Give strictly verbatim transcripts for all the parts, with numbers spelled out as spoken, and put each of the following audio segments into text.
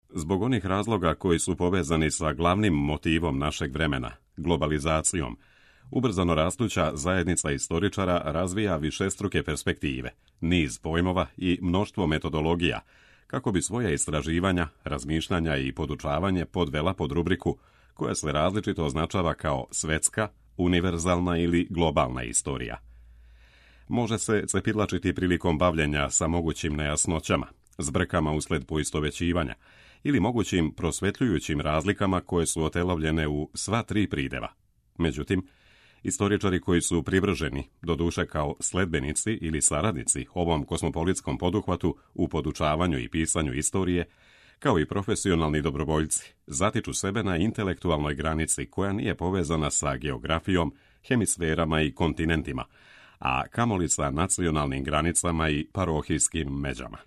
Zbog onih razloga koji su povezani sa glavnim motivom našeg vremena, globalizacijom, ubrzano rastuća zajednica istoričara razvija višestruke perspektive, niz pojmova i mnoštvo metodologija, kako bi svoja istraživanja, razmišljanja i podučavanje podvela pod rubriku koja se različito označava kao svetska, univerzalna ili globalna istorija. Može se cepidlačiti prilikom bavljenja sa mogućim nejasnoćama, zbrkama usled poistovećivanja ili mogućim prosvetljujućim razlikama koje su otelovljene u sva tri prideva. Međutim, istoričari koji su privrženi, doduše kao sledbenici ili saradnici ovom kosmopolitskom poduhvatu u podučavanju i pisanju istorije, kao i profesionalni dobrovoljci, zatiču sebe na intelektualnoj granici koja nije povezana sa geografijom, hemisferama i kontinentima, a kamoli sa nacionalnim granicama i parohijskim međama.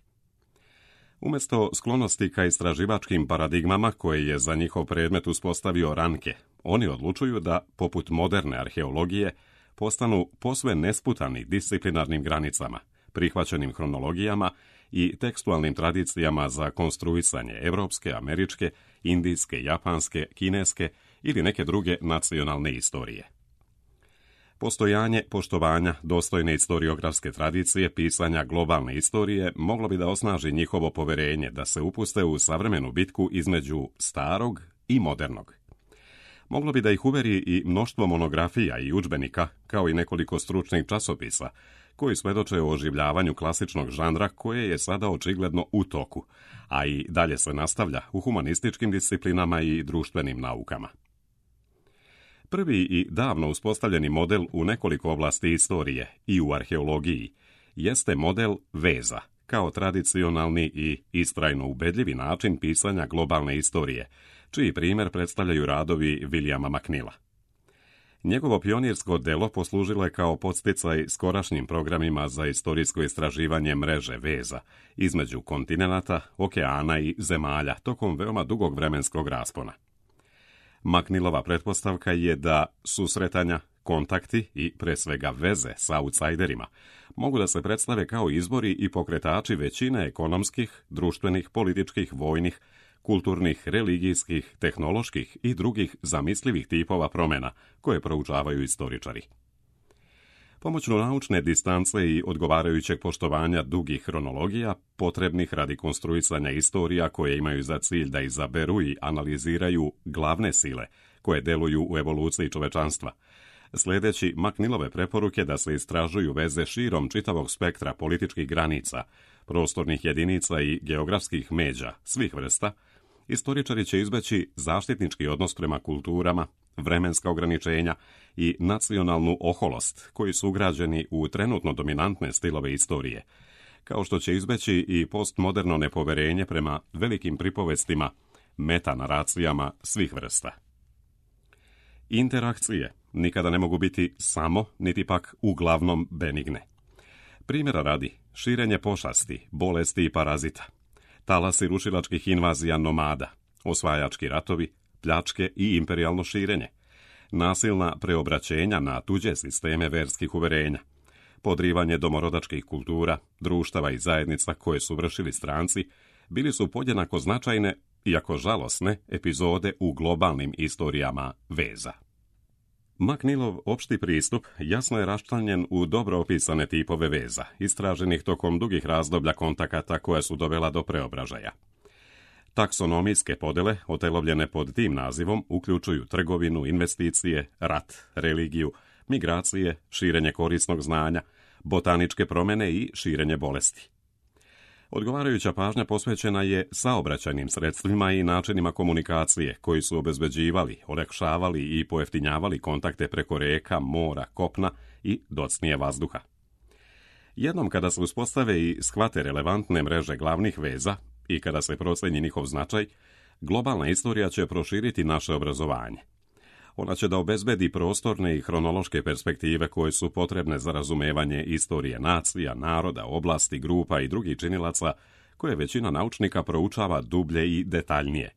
Umjesto sklonosti ka istraživačkim paradigmama koje je za njihov predmet uspostavio Ranke, oni odlučuju da, poput moderne arheologije, postanu posve nesputani disciplinarnim granicama, prihvaćenim hronologijama i tekstualnim tradicijama za konstruisanje evropske, američke, indijske, japanske, kineske ili neke druge nacionalne istorije. Postojanje poštovanja dostojne istoriografske tradicije pisanja globalne istorije moglo bi da osnaži njihovo poverenje da se upuste u savremenu bitku između starog i modernog. Moglo bi da ih uveri i mnoštvo monografija i udžbenika, kao i nekoliko stručnih časopisa, koji svedoče o oživljavanju klasičnog žanra koje je sada očigledno u toku, a i dalje se nastavlja u humanističkim disciplinama i društvenim naukama. Prvi i davno uspostavljeni model u nekoliko oblasti istorije i u arheologiji jeste model veza, kao tradicionalni i istrajno ubedljivi način pisanja globalne istorije, čiji primjer predstavljaju radovi Williama McNeila. Njegovo pionirsko delo poslužilo je kao podsticaj skorašnjim programima za istorijsko istraživanje mreže veza između kontinenata, okeana i zemalja tokom veoma dugog vremenskog raspona. McNeilova pretpostavka je da susretanja, kontakti i pre svega veze sa outsiderima mogu da se predstave kao izbori i pokretači većine ekonomskih, društvenih, političkih, vojnih, kulturnih, religijskih, tehnoloških i drugih zamislivih tipova promjena koje proučavaju istoričari. Pomoću naučne distance i odgovarajućeg poštovanja dugih hronologija, potrebnih radi konstruisanja istorija koje imaju za cilj da izaberu i analiziraju glavne sile koje deluju u evoluciji čovečanstva, sledeći McNeilove preporuke da se istražuju veze širom čitavog spektra političkih granica, prostornih jedinica i geografskih međa svih vrsta, istoričari će izbeći zaštitnički odnos prema kulturama, vremenska ograničenja i nacionalnu oholost koji su ugrađeni u trenutno dominantne stilove istorije, kao što će izbeći i postmoderno nepoverenje prema velikim pripovestima, metanaracijama svih vrsta. Interakcije nikada ne mogu biti samo, niti pak uglavnom benigne. Primjera radi, širenje pošasti, bolesti i parazita, talasi rušilačkih invazija nomada, osvajački ratovi, pljačke i imperijalno širenje, nasilna preobraćenja na tuđe sisteme verskih uverenja, podrivanje domorodačkih kultura, društava i zajednica koje su vršili stranci, bili su podjednako značajne, iako žalosne, epizode u globalnim istorijama veza. McNeilov opšti pristup jasno je raščlanjen u dobro opisane tipove veza, istraženih tokom dugih razdoblja kontakata koja su dovela do preobražaja. Taksonomijske podele, otelovljene pod tim nazivom, uključuju trgovinu, investicije, rat, religiju, migracije, širenje korisnog znanja, botaničke promjene i širenje bolesti. Odgovarajuća pažnja posvećena je saobraćajnim sredstvima i načinima komunikacije koji su obezbeđivali, olakšavali i pojeftinjavali kontakte preko reka, mora, kopna i docnije vazduha. Jednom kada se uspostave i shvate relevantne mreže glavnih veza i kada se proceni njihov značaj, globalna istorija će proširiti naše obrazovanje. Ona će da obezbedi prostorne i hronološke perspektive koje su potrebne za razumevanje istorije nacija, naroda, oblasti, grupa i drugih činilaca koje većina naučnika proučava dublje i detaljnije,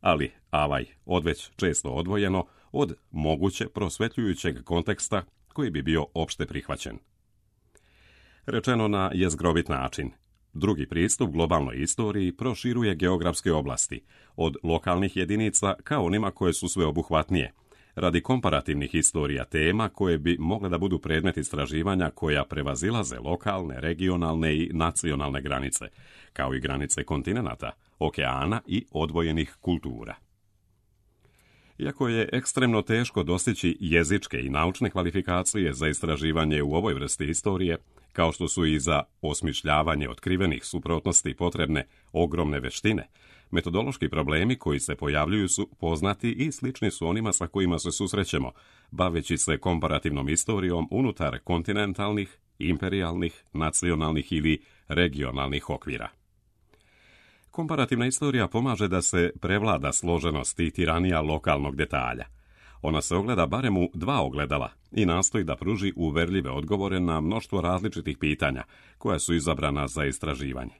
ali avaj odveć često odvojeno od moguće prosvetljujućeg konteksta koji bi bio opšte prihvaćen. Rečeno na jezgrovit način, Drugi pristup globalnoj istoriji proširuje geografske oblasti, od lokalnih jedinica ka onima koje su sveobuhvatnije, radi komparativnih istorija tema koje bi mogle da budu predmet istraživanja koja prevazilaze lokalne, regionalne i nacionalne granice, kao i granice kontinenata, okeana i odvojenih kultura. Iako je ekstremno teško dostići jezičke i naučne kvalifikacije za istraživanje u ovoj vrsti istorije, kao što su i za osmišljavanje otkrivenih suprotnosti potrebne ogromne veštine, metodološki problemi koji se pojavljuju su poznati i slični su onima sa kojima se susrećemo, baveći se komparativnom istorijom unutar kontinentalnih, imperijalnih, nacionalnih ili regionalnih okvira. Komparativna istorija pomaže da se prevlada složenost i tiranija lokalnog detalja. Ona se ogleda barem u dva ogledala i nastoji da pruži uverljive odgovore na mnoštvo različitih pitanja koja su izabrana za istraživanje.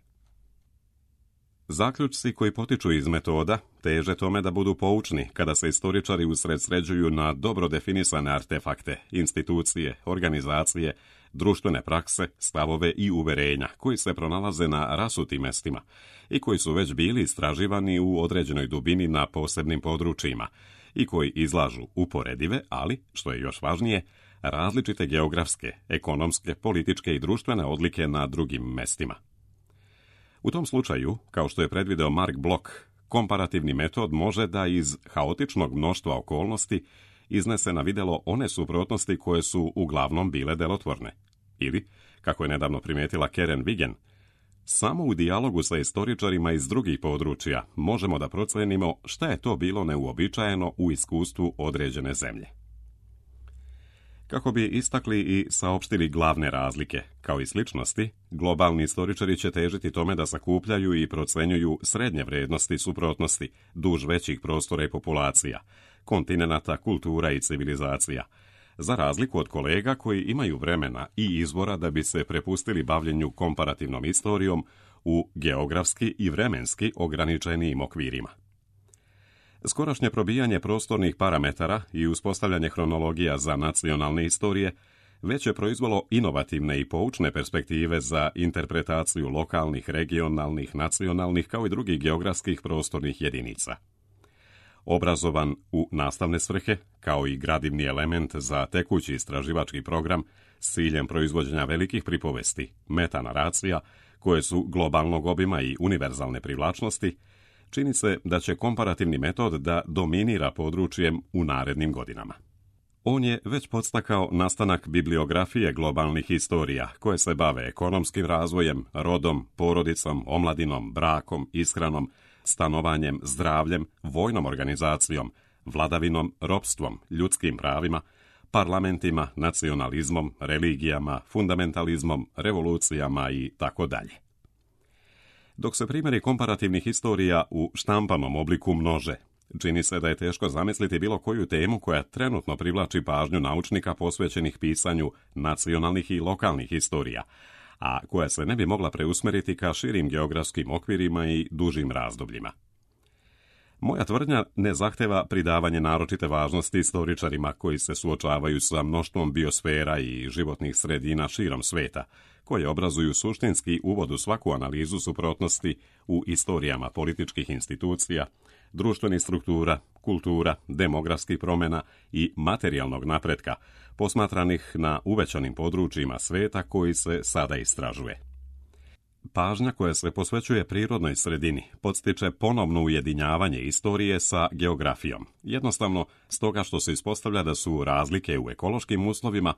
Zaključci koji potiču iz metoda teže tome da budu poučni kada se istoričari usredsređuju na dobro definisane artefakte, institucije, organizacije, društvene prakse, stavove i uverenja koji se pronalaze na rasutim mestima i koji su već bili istraživani u određenoj dubini na posebnim područjima i koji izlažu uporedive, ali, što je još važnije, različite geografske, ekonomske, političke i društvene odlike na drugim mestima. U tom slučaju, kao što je predvideo Mark Bloch, komparativni metod može da iz haotičnog mnoštva okolnosti iznese na videlo one suprotnosti koje su uglavnom bile delotvorne. Ili, kako je nedavno primijetila Karen Wigen, samo u dijalogu sa istoričarima iz drugih područja možemo da procenimo šta je to bilo neuobičajeno u iskustvu određene zemlje. Kako bi istakli i saopštili glavne razlike, kao i sličnosti, globalni istoričari će težiti tome da sakupljaju i procenjuju srednje vrednosti suprotnosti duž većih prostora i populacija, kontinenata, kultura i civilizacija, za razliku od kolega koji imaju vremena i izbora da bi se prepustili bavljenju komparativnom istorijom u geografski i vremenski ograničenijim okvirima. Skorašnje probijanje prostornih parametara i uspostavljanje hronologija za nacionalne istorije već je proizvelo inovativne i poučne perspektive za interpretaciju lokalnih, regionalnih, nacionalnih kao i drugih geografskih prostornih jedinica. Obrazovan u nastavne svrhe, kao i gradivni element za tekući istraživački program s ciljem proizvođenja velikih pripovesti, metanaracija, koje su globalnog obima i univerzalne privlačnosti, čini se da će komparativni metod da dominira područjem u narednim godinama. On je već podstakao nastanak bibliografije globalnih istorija koje se bave ekonomskim razvojem, rodom, porodicom, omladinom, brakom, ishranom, stanovanjem, zdravljem, vojnom organizacijom, vladavinom, ropstvom, ljudskim pravima, parlamentima, nacionalizmom, religijama, fundamentalizmom, revolucijama i tako dalje. Dok se primjeri komparativnih istorija u štampanom obliku množe, čini se da je teško zamisliti bilo koju temu koja trenutno privlači pažnju naučnika posvećenih pisanju nacionalnih i lokalnih istorija, a koja se ne bi mogla preusmeriti ka širim geografskim okvirima i dužim razdobljima. Moja tvrdnja ne zahteva pridavanje naročite važnosti istoričarima koji se suočavaju sa mnoštvom biosfera i životnih sredina širom sveta, koje obrazuju suštinski uvod u svaku analizu suprotnosti u istorijama političkih institucija, društvenih struktura, kultura, demografskih promjena i materijalnog napretka, posmatranih na uvećanim područjima sveta koji se sada istražuje. Pažnja koja se posvećuje prirodnoj sredini podstiče ponovno ujedinjavanje istorije sa geografijom, jednostavno stoga što se ispostavlja da su razlike u ekološkim uslovima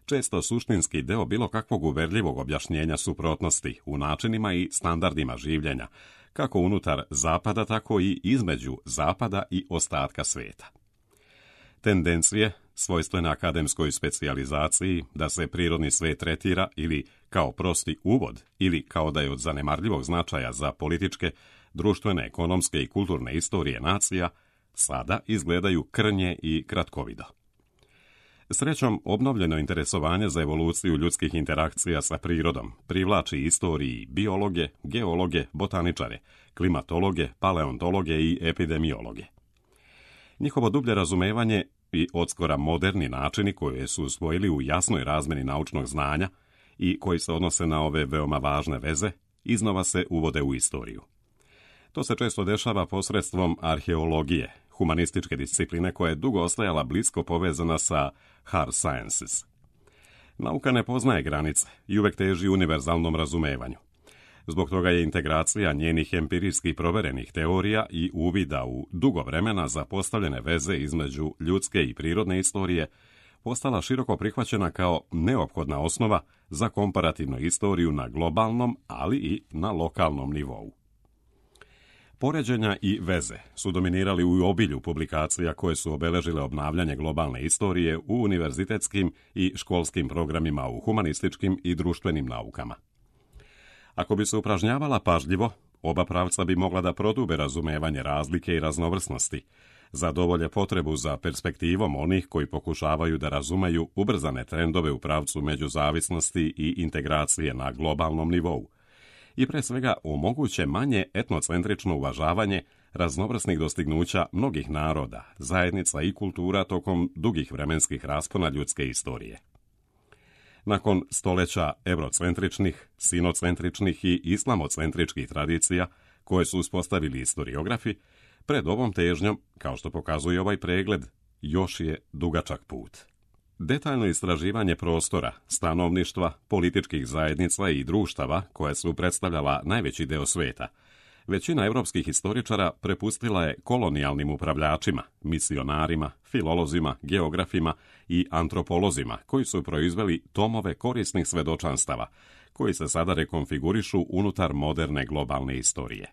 često suštinski deo bilo kakvog uverljivog objašnjenja suprotnosti u načinima i standardima življenja, kako unutar zapada, tako i između zapada i ostatka sveta. Tendencije, svojstvene akademskoj specijalizaciji, da se prirodni svet tretira ili kao prosti uvod ili kao da je od zanemarljivog značaja za političke, društvene, ekonomske i kulturne istorije nacija, sada izgledaju krnje i kratkovido. Srećom, obnovljeno interesovanje za evoluciju ljudskih interakcija sa prirodom privlači istoriji biologe, geologe, botaničare, klimatologe, paleontologe i epidemiologe. Njihovo dublje razumevanje i odskora moderni načini koje su usvojili u jasnoj razmeni naučnog znanja i koji se odnose na ove veoma važne veze, iznova se uvode u istoriju. To se često dešava posredstvom arheologije, humanističke discipline koja je dugo ostajala blisko povezana sa hard sciences. Nauka ne poznaje granice i uvek teži univerzalnom razumevanju. Zbog toga je integracija njenih empirijski proverenih teorija i uvida u dugo vremena zapostavljene veze između ljudske i prirodne istorije postala široko prihvaćena kao neophodna osnova za komparativnu istoriju na globalnom, ali i na lokalnom nivou. Poređenja i veze su dominirali u obilju publikacija koje su obeležile obnavljanje globalne istorije u univerzitetskim i školskim programima u humanističkim i društvenim naukama. Ako bi se upražnjavala pažljivo, oba pravca bi mogla da prodube razumevanje razlike i raznovrsnosti, zadovolje potrebu za perspektivom onih koji pokušavaju da razumeju ubrzane trendove u pravcu međuzavisnosti i integracije na globalnom nivou, i pre svega omoguće manje etnocentrično uvažavanje raznovrsnih dostignuća mnogih naroda, zajednica i kultura tokom dugih vremenskih raspona ljudske istorije. Nakon stoleća eurocentričnih, sinocentričnih i islamocentričkih tradicija koje su uspostavili istoriografi, pred ovom težnjom, kao što pokazuje ovaj pregled, još je dugačak put. Detaljno istraživanje prostora, stanovništva, političkih zajednica i društava koje su predstavljala najveći deo sveta, većina evropskih historičara prepustila je kolonijalnim upravljačima, misionarima, filolozima, geografima i antropolozima koji su proizveli tomove korisnih svedočanstava, koji se sada rekonfigurišu unutar moderne globalne istorije.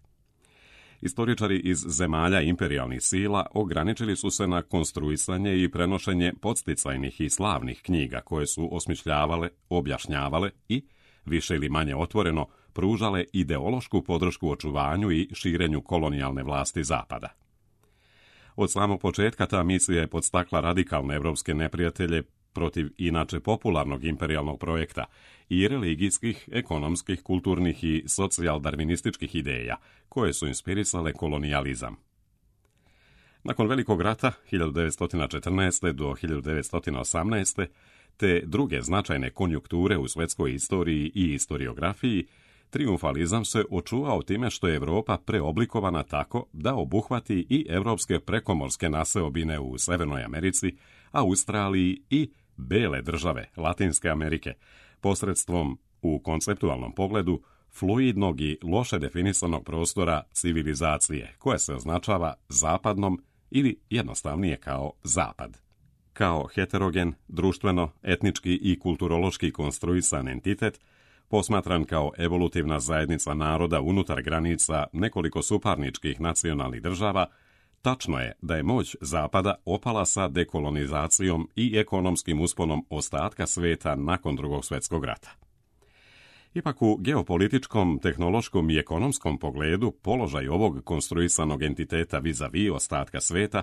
Istoričari iz zemalja imperijalnih sila ograničili su se na konstruisanje i prenošenje podsticajnih i slavnih knjiga koje su osmišljavale, objašnjavale i, više ili manje otvoreno, pružale ideološku podršku očuvanju i širenju kolonijalne vlasti Zapada. Od samog početka ta misija je podstakla radikalne evropske neprijatelje protiv inače popularnog imperijalnog projekta i religijskih, ekonomskih, kulturnih i socijal-darvinističkih ideja koje su inspirisale kolonijalizam. Nakon Velikog rata hiljadu devetsto četrnaeste. do hiljadu devetsto osamnaeste. te druge značajne konjunkture u svetskoj istoriji i istoriografiji, trijumfalizam se očuvao time što je Evropa preoblikovana tako da obuhvati i evropske prekomorske naseobine u Severnoj Americi, Australiji i bele države Latinske Amerike, posredstvom, u konceptualnom pogledu, fluidnog i loše definisanog prostora civilizacije, koja se označava zapadnom ili jednostavnije kao zapad. Kao heterogen, društveno, etnički i kulturološki konstruisan entitet, posmatran kao evolutivna zajednica naroda unutar granica nekoliko suparničkih nacionalnih država, tačno je da je moć Zapada opala sa dekolonizacijom i ekonomskim usponom ostatka sveta nakon Drugog svjetskog rata. Ipak u geopolitičkom, tehnološkom i ekonomskom pogledu položaj ovog konstruisanog entiteta vis-a-vis ostatka sveta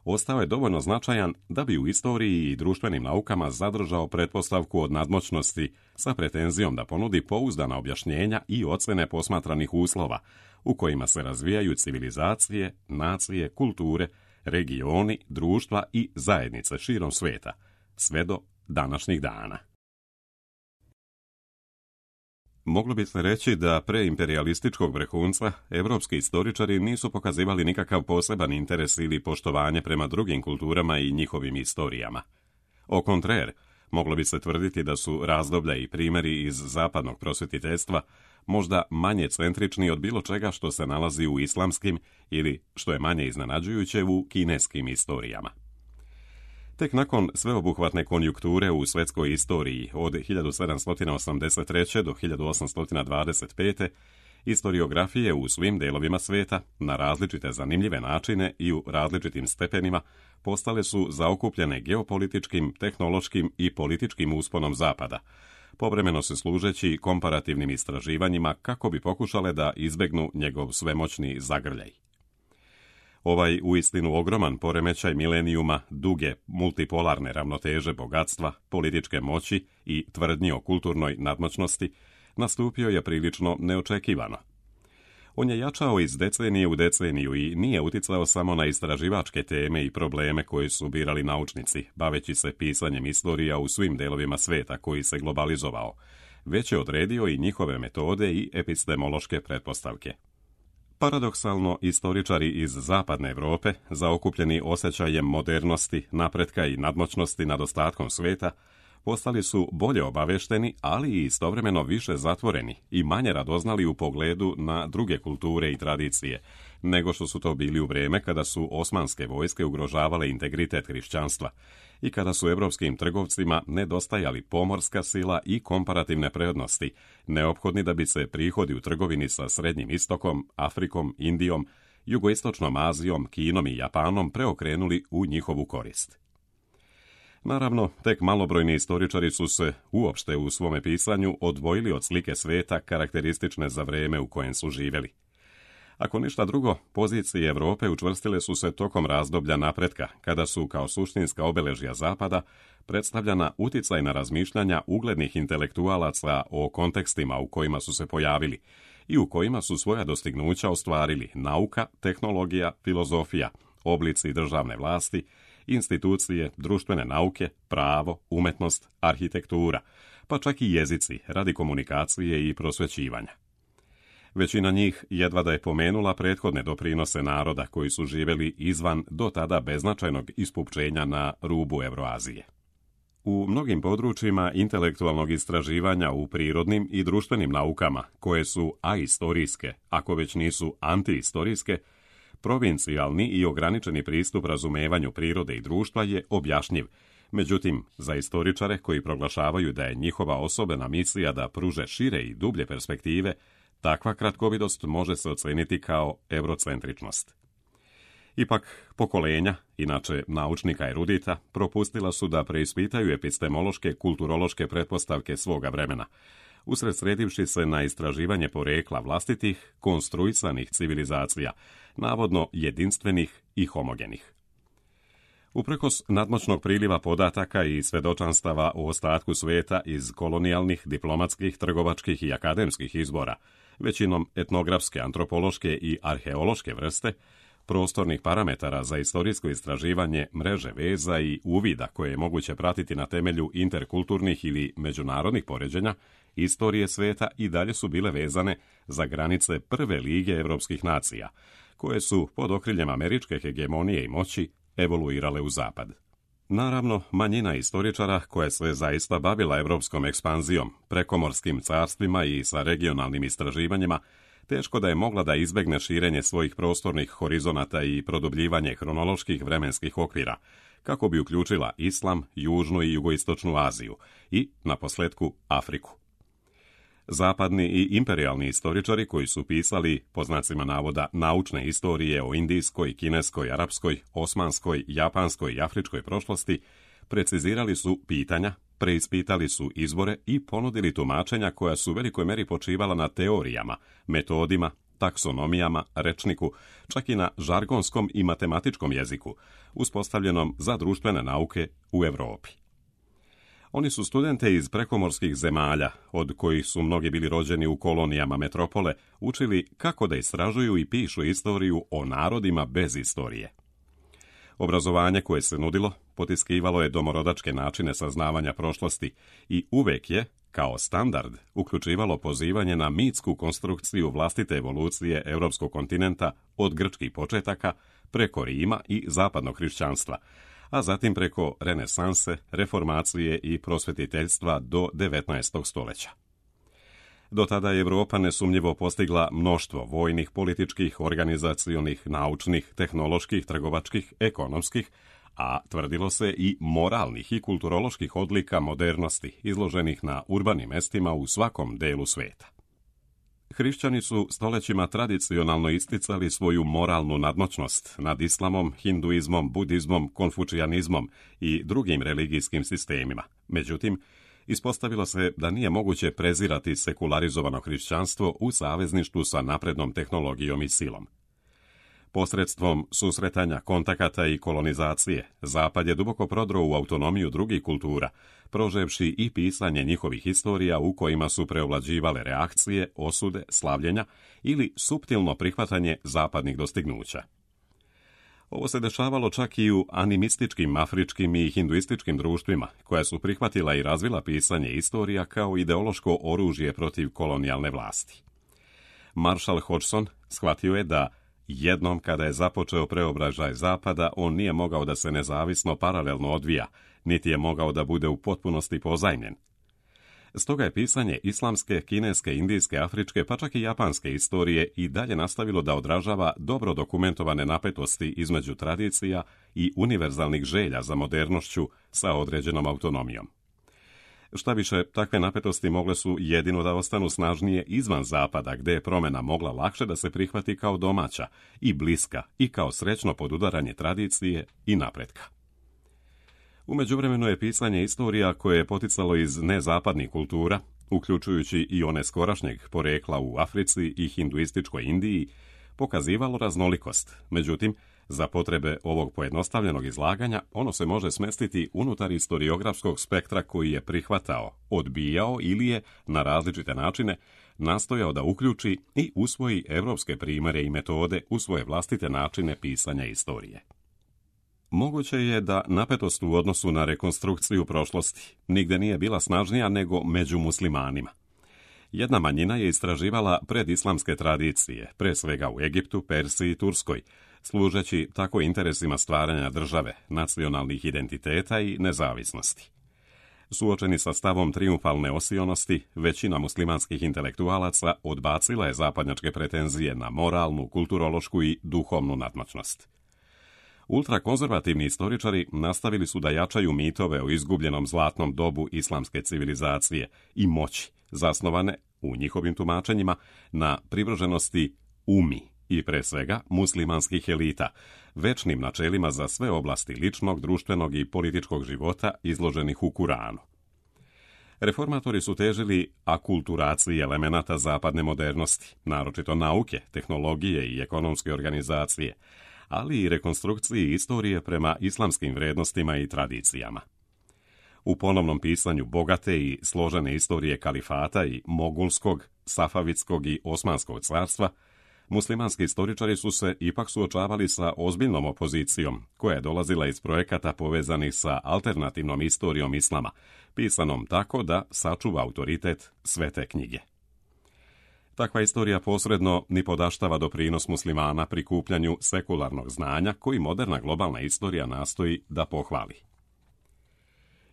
ostao je dovoljno značajan da bi u istoriji i društvenim naukama zadržao pretpostavku od nadmoćnosti sa pretenzijom da ponudi pouzdana objašnjenja i ocene posmatranih uslova u kojima se razvijaju civilizacije, nacije, kulture, regioni, društva i zajednice širom sveta, sve do današnjih dana. Moglo bi se reći da pre imperialističkog vrhunca evropski istoričari nisu pokazivali nikakav poseban interes ili poštovanje prema drugim kulturama i njihovim istorijama. Au contraire, moglo bi se tvrditi da su razdoblja i primjeri iz zapadnog prosvetiteljstva možda manje centrični od bilo čega što se nalazi u islamskim ili, što je manje iznenađujuće, u kineskim istorijama. Tek nakon sveobuhvatne konjunkture u svetskoj istoriji od hiljadu sedamsto osamdeset treće. do hiljadu osamsto dvadeset pete. istoriografije u svim delovima sveta, na različite zanimljive načine i u različitim stepenima, postale su zaokupljene geopolitičkim, tehnološkim i političkim usponom Zapada, povremeno se služeći komparativnim istraživanjima kako bi pokušale da izbegnu njegov svemoćni zagrljaj. Ovaj uistinu ogroman poremećaj milenijuma duge multipolarne ravnoteže bogatstva, političke moći i tvrdnji o kulturnoj nadmoćnosti nastupio je prilično neočekivano. On je jačao iz decenije u deceniju i nije uticao samo na istraživačke teme i probleme koje su birali naučnici, baveći se pisanjem istorija u svim delovima sveta koji se globalizovao, već je odredio i njihove metode i epistemološke pretpostavke. Paradoksalno, istoričari iz zapadne Europe, zaokupljeni osjećajem modernosti, napretka i nadmoćnosti nad ostatkom sveta, postali su bolje obavešteni, ali i istovremeno više zatvoreni i manje radoznali u pogledu na druge kulture i tradicije, nego što su to bili u vrijeme kada su osmanske vojske ugrožavale integritet hrišćanstva i kada su evropskim trgovcima nedostajali pomorska sila i komparativne prednosti, neophodni da bi se prihodi u trgovini sa Srednjim istokom, Afrikom, Indijom, Jugoistočnom Azijom, Kinom i Japanom preokrenuli u njihovu korist. Naravno, tek malobrojni istoričari su se uopšte u svome pisanju odvojili od slike sveta karakteristične za vrijeme u kojem su živjeli. Ako ništa drugo, pozicije Europe učvrstile su se tokom razdoblja napretka, kada su kao suštinska obeležja Zapada predstavljana uticajna razmišljanja uglednih intelektualaca o kontekstima u kojima su se pojavili i u kojima su svoja dostignuća ostvarili nauka, tehnologija, filozofija, oblici državne vlasti, institucije, društvene nauke, pravo, umetnost, arhitektura, pa čak i jezici radi komunikacije i prosvećivanja. Većina njih jedva da je pomenula prethodne doprinose naroda koji su živjeli izvan do tada beznačajnog ispupčenja na rubu Evroazije. U mnogim područjima intelektualnog istraživanja u prirodnim i društvenim naukama, koje su aistorijske, ako već nisu antiistorijske, provincijalni i ograničeni pristup razumevanju prirode i društva je objašnjiv. Međutim, za istoričare koji proglašavaju da je njihova osobena misija da pruže šire i dublje perspektive, takva kratkovidost može se oceniti kao eurocentričnost. Ipak, pokolenja, inače naučnika erudita, propustila su da preispitaju epistemološke, kulturološke pretpostavke svoga vremena, usredsredivši se na istraživanje porekla vlastitih, konstruisanih civilizacija, navodno jedinstvenih i homogenih. Uprkos nadmoćnog priliva podataka i svedočanstava o ostatku sveta iz kolonijalnih, diplomatskih, trgovačkih i akademskih izbora, većinom etnografske, antropološke i arheološke vrste, prostornih parametara za istorijsko istraživanje mreže veza i uvida koje je moguće pratiti na temelju interkulturnih ili međunarodnih poređenja, istorije sveta i dalje su bile vezane za granice prve lige evropskih nacija, koje su pod okriljem američke hegemonije i moći evoluirale u zapad. Naravno, manjina istoričara koja se zaista bavila evropskom ekspanzijom, prekomorskim carstvima i sa regionalnim istraživanjima, teško da je mogla da izbegne širenje svojih prostornih horizonata i produbljivanje hronoloških vremenskih okvira, kako bi uključila islam, južnu i jugoistočnu Aziju i, naposljetku, Afriku. Zapadni i imperijalni istoričari koji su pisali, po znacima navoda, naučne istorije o indijskoj, kineskoj, arapskoj, osmanskoj, japanskoj i afričkoj prošlosti, precizirali su pitanja, preispitali su izbore i ponudili tumačenja koja su u velikoj meri počivala na teorijama, metodima, taksonomijama, rečniku, čak i na žargonskom i matematičkom jeziku, uspostavljenom za društvene nauke u Europi. Oni su studente iz prekomorskih zemalja, od kojih su mnogi bili rođeni u kolonijama metropole, učili kako da istražuju i pišu istoriju o narodima bez istorije. Obrazovanje koje se nudilo potiskivalo je domorodačke načine saznavanja prošlosti i uvek je, kao standard, uključivalo pozivanje na mitsku konstrukciju vlastite evolucije europskog kontinenta od grčkih početaka preko Rima i zapadnog hrišćanstva, a zatim preko renesanse, reformacije i prosvetiteljstva do devetnaestog stoljeća. Do tada je Europa nesumnjivo postigla mnoštvo vojnih, političkih, organizacionih, naučnih, tehnoloških, trgovačkih, ekonomskih, a tvrdilo se i moralnih i kulturoloških odlika modernosti izloženih na urbanim mestima u svakom delu sveta. Hrišćani su stoljećima tradicionalno isticali svoju moralnu nadmoćnost nad islamom, hinduizmom, budizmom, konfučijanizmom i drugim religijskim sistemima. Međutim, ispostavilo se da nije moguće prezirati sekularizovano hrišćanstvo u savezništvu sa naprednom tehnologijom i silom. Posredstvom susretanja, kontakata i kolonizacije, Zapad je duboko prodro u autonomiju drugih kultura, proževši i pisanje njihovih historija u kojima su preovlađivale reakcije, osude, slavljenja ili suptilno prihvatanje zapadnih dostignuća. Ovo se dešavalo čak i u animističkim, afričkim i hinduističkim društvima, koja su prihvatila i razvila pisanje istorija kao ideološko oružje protiv kolonijalne vlasti. Marshall Hodgson shvatio je da jednom kada je započeo preobražaj Zapada, on nije mogao da se nezavisno paralelno odvija, niti je mogao da bude u potpunosti pozajmljen. Stoga je pisanje islamske, kineske, indijske, afričke, pa čak i japanske istorije i dalje nastavilo da odražava dobro dokumentovane napetosti između tradicija i univerzalnih želja za modernošću sa određenom autonomijom. Šta više, takve napetosti mogle su jedino da ostanu snažnije izvan Zapada, gde je promjena mogla lakše da se prihvati kao domaća i bliska i kao srećno podudaranje tradicije i napretka. U međuvremenu je pisanje istorija koje je poticalo iz nezapadnih kultura, uključujući i one skorašnjeg porekla u Africi i hinduističkoj Indiji, pokazivalo raznolikost. Međutim, za potrebe ovog pojednostavljenog izlaganja, ono se može smestiti unutar istoriografskog spektra koji je prihvatao, odbijao ili je, na različite načine, nastojao da uključi i usvoji evropske primjere i metode u svoje vlastite načine pisanja istorije. Moguće je da napetost u odnosu na rekonstrukciju prošlosti nigde nije bila snažnija nego među muslimanima. Jedna manjina je istraživala predislamske tradicije, pre svega u Egiptu, Persiji i Turskoj, služeći tako interesima stvaranja države, nacionalnih identiteta i nezavisnosti. Suočeni sa stavom trijumfalne osionosti, većina muslimanskih intelektualaca odbacila je zapadnjačke pretenzije na moralnu, kulturološku i duhovnu nadmoćnost. Ultrakonzervativni istoričari nastavili su da jačaju mitove o izgubljenom zlatnom dobu islamske civilizacije i moći, zasnovane, u njihovim tumačenjima, na privrženosti umi i pre svega muslimanskih elita, večnim načelima za sve oblasti ličnog, društvenog i političkog života izloženih u Kuranu. Reformatori su težili akulturaciji elemenata zapadne modernosti, naročito nauke, tehnologije i ekonomske organizacije, ali i rekonstrukciji istorije prema islamskim vrednostima i tradicijama. U ponovnom pisanju bogate i složene istorije kalifata i mogulskog, safavitskog i osmanskog carstva, muslimanski istoričari su se ipak suočavali sa ozbiljnom opozicijom, koja je dolazila iz projekata povezanih sa alternativnom istorijom islama, pisanom tako da sačuva autoritet svete knjige. Takva istorija posredno ni podaštava doprinos muslimana prikupljanju sekularnog znanja koji moderna globalna istorija nastoji da pohvali.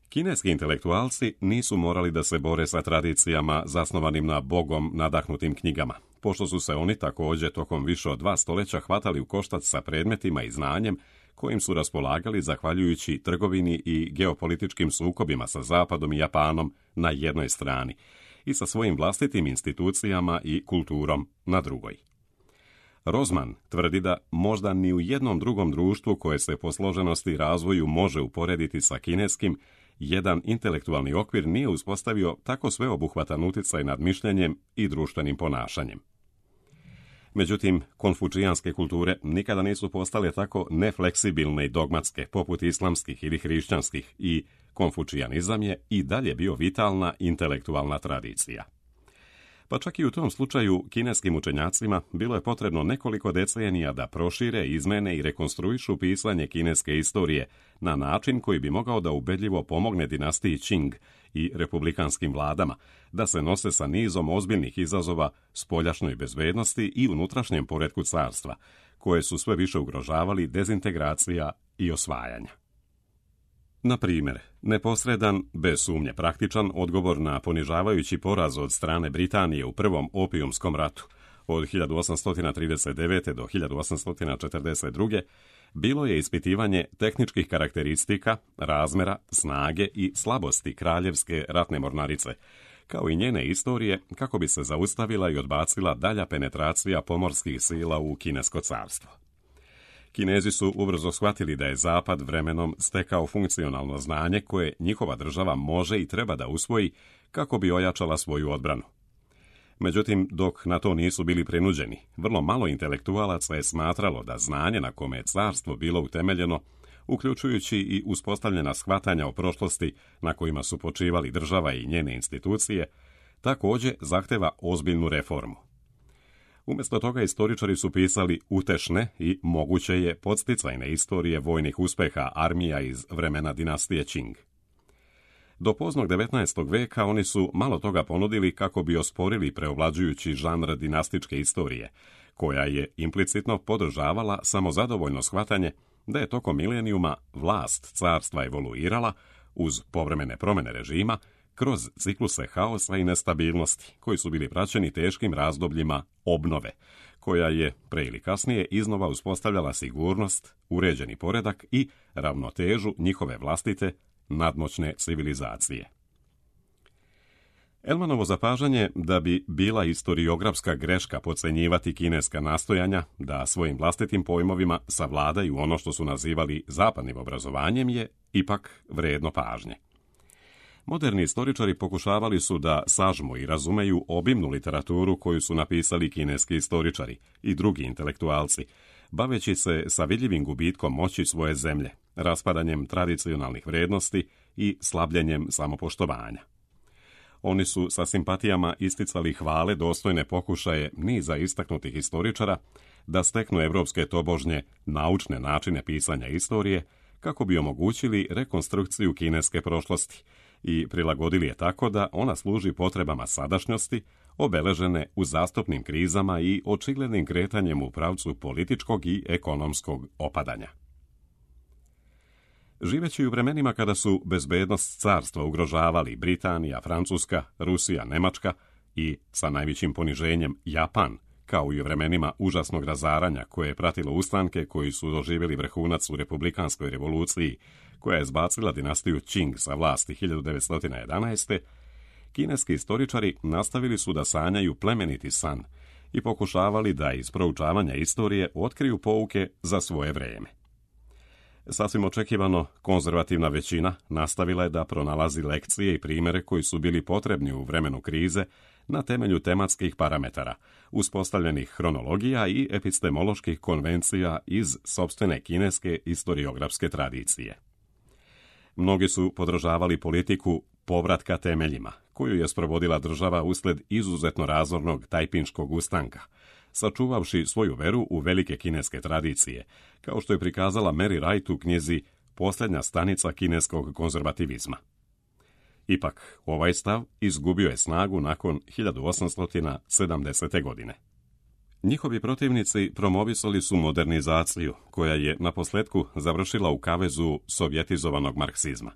Kineski intelektualci nisu morali da se bore sa tradicijama zasnovanim na bogom nadahnutim knjigama, pošto su se oni također tokom više od dva stoljeća hvatali u koštac sa predmetima i znanjem kojim su raspolagali zahvaljujući trgovini i geopolitičkim sukobima sa Zapadom i Japanom na jednoj strani i sa svojim vlastitim institucijama i kulturom na drugoj. Rozman tvrdi da možda ni u jednom drugom društvu koje se po složenosti i razvoju može uporediti sa kineskim, jedan intelektualni okvir nije uspostavio tako sveobuhvatan uticaj nad mišljenjem i društvenim ponašanjem. Međutim, konfučijanske kulture nikada nisu postale tako nefleksibilne i dogmatske poput islamskih ili hrišćanskih i konfučijanizam je i dalje bio vitalna intelektualna tradicija. Pa čak i u tom slučaju kineskim učenjacima bilo je potrebno nekoliko decenija da prošire, izmene i rekonstruišu pisanje kineske istorije na način koji bi mogao da ubedljivo pomogne dinastiji Qing i republikanskim vladama da se nose sa nizom ozbiljnih izazova spoljašnjoj bezbednosti i unutrašnjem poretku carstva, koje su sve više ugrožavali dezintegracija i osvajanja. Na primjer, neposredan, bez sumnje praktičan odgovor na ponižavajući poraz od strane Britanije u Prvom opijumskom ratu od hiljadu osamsto trideset devete. do hiljadu osamsto četrdeset druge. bilo je ispitivanje tehničkih karakteristika, razmera, snage i slabosti kraljevske ratne mornarice, kao i njene istorije kako bi se zaustavila i odbacila dalja penetracija pomorskih sila u kinesko carstvo. Kinezi su ubrzo shvatili da je Zapad vremenom stekao funkcionalno znanje koje njihova država može i treba da usvoji kako bi ojačala svoju odbranu. Međutim, dok na to nisu bili prinuđeni, vrlo malo intelektualaca je smatralo da znanje na kome je carstvo bilo utemeljeno, uključujući i uspostavljena shvatanja o prošlosti na kojima su počivali država i njene institucije, također zahteva ozbiljnu reformu. Umjesto toga istoričari su pisali utešne i moguće je podsticajne istorije vojnih uspeha armija iz vremena dinastije Qing. Do poznog devetnaestog veka oni su malo toga ponudili kako bi osporili preovlađujući žanr dinastičke istorije, koja je implicitno podržavala samozadovoljno shvatanje da je tokom milenijuma vlast carstva evoluirala uz povremene promjene režima kroz cikluse haosa i nestabilnosti, koji su bili praćeni teškim razdobljima obnove, koja je pre ili kasnije iznova uspostavljala sigurnost, uređeni poredak i ravnotežu njihove vlastite nadmoćne civilizacije. Elmanovo zapažanje da bi bila historiografska greška podcenjivati kineska nastojanja da svojim vlastitim pojmovima savladaju ono što su nazivali zapadnim obrazovanjem je ipak vredno pažnje. Moderni istoričari pokušavali su da sažmu i razumeju obimnu literaturu koju su napisali kineski istoričari i drugi intelektualci, baveći se sa vidljivim gubitkom moći svoje zemlje, raspadanjem tradicionalnih vrijednosti i slabljenjem samopoštovanja. Oni su sa simpatijama isticali hvale dostojne pokušaje niza istaknutih istoričara da steknu evropske tobožnje naučne načine pisanja istorije kako bi omogućili rekonstrukciju kineske prošlosti i prilagodili je tako da ona služi potrebama sadašnjosti, obeležene uzastopnim krizama i očiglednim kretanjem u pravcu političkog i ekonomskog opadanja. Živeći u vremenima kada su bezbednost carstva ugrožavali Britanija, Francuska, Rusija, Nemačka i, sa najvećim poniženjem, Japan, kao i u vremenima užasnog razaranja koje je pratilo ustanke koji su doživjeli vrhunac u republikanskoj revoluciji koja je zbacila dinastiju Qing sa vlasti hiljadu devetsto jedanaeste. Kineski istoričari nastavili su da sanjaju plemeniti san i pokušavali da iz proučavanja istorije otkriju pouke za svoje vrijeme. Sasvim očekivano, konzervativna većina nastavila je da pronalazi lekcije i primjere koji su bili potrebni u vremenu krize na temelju tematskih parametara, uspostavljenih hronologija i epistemoloških konvencija iz sopstvene kineske historiografske tradicije. Mnogi su podržavali politiku povratka temeljima, koju je sprovodila država usled izuzetno razornog tajpinškog ustanka, sačuvavši svoju veru u velike kineske tradicije, kao što je prikazala Mary Wright u knjizi Posljednja stanica kineskog konzervativizma. Ipak, ovaj stav izgubio je snagu nakon hiljadu osamsto sedamdesete. godine. Njihovi protivnici promovisali su modernizaciju, koja je naposljetku završila u kavezu sovjetizovanog marksizma.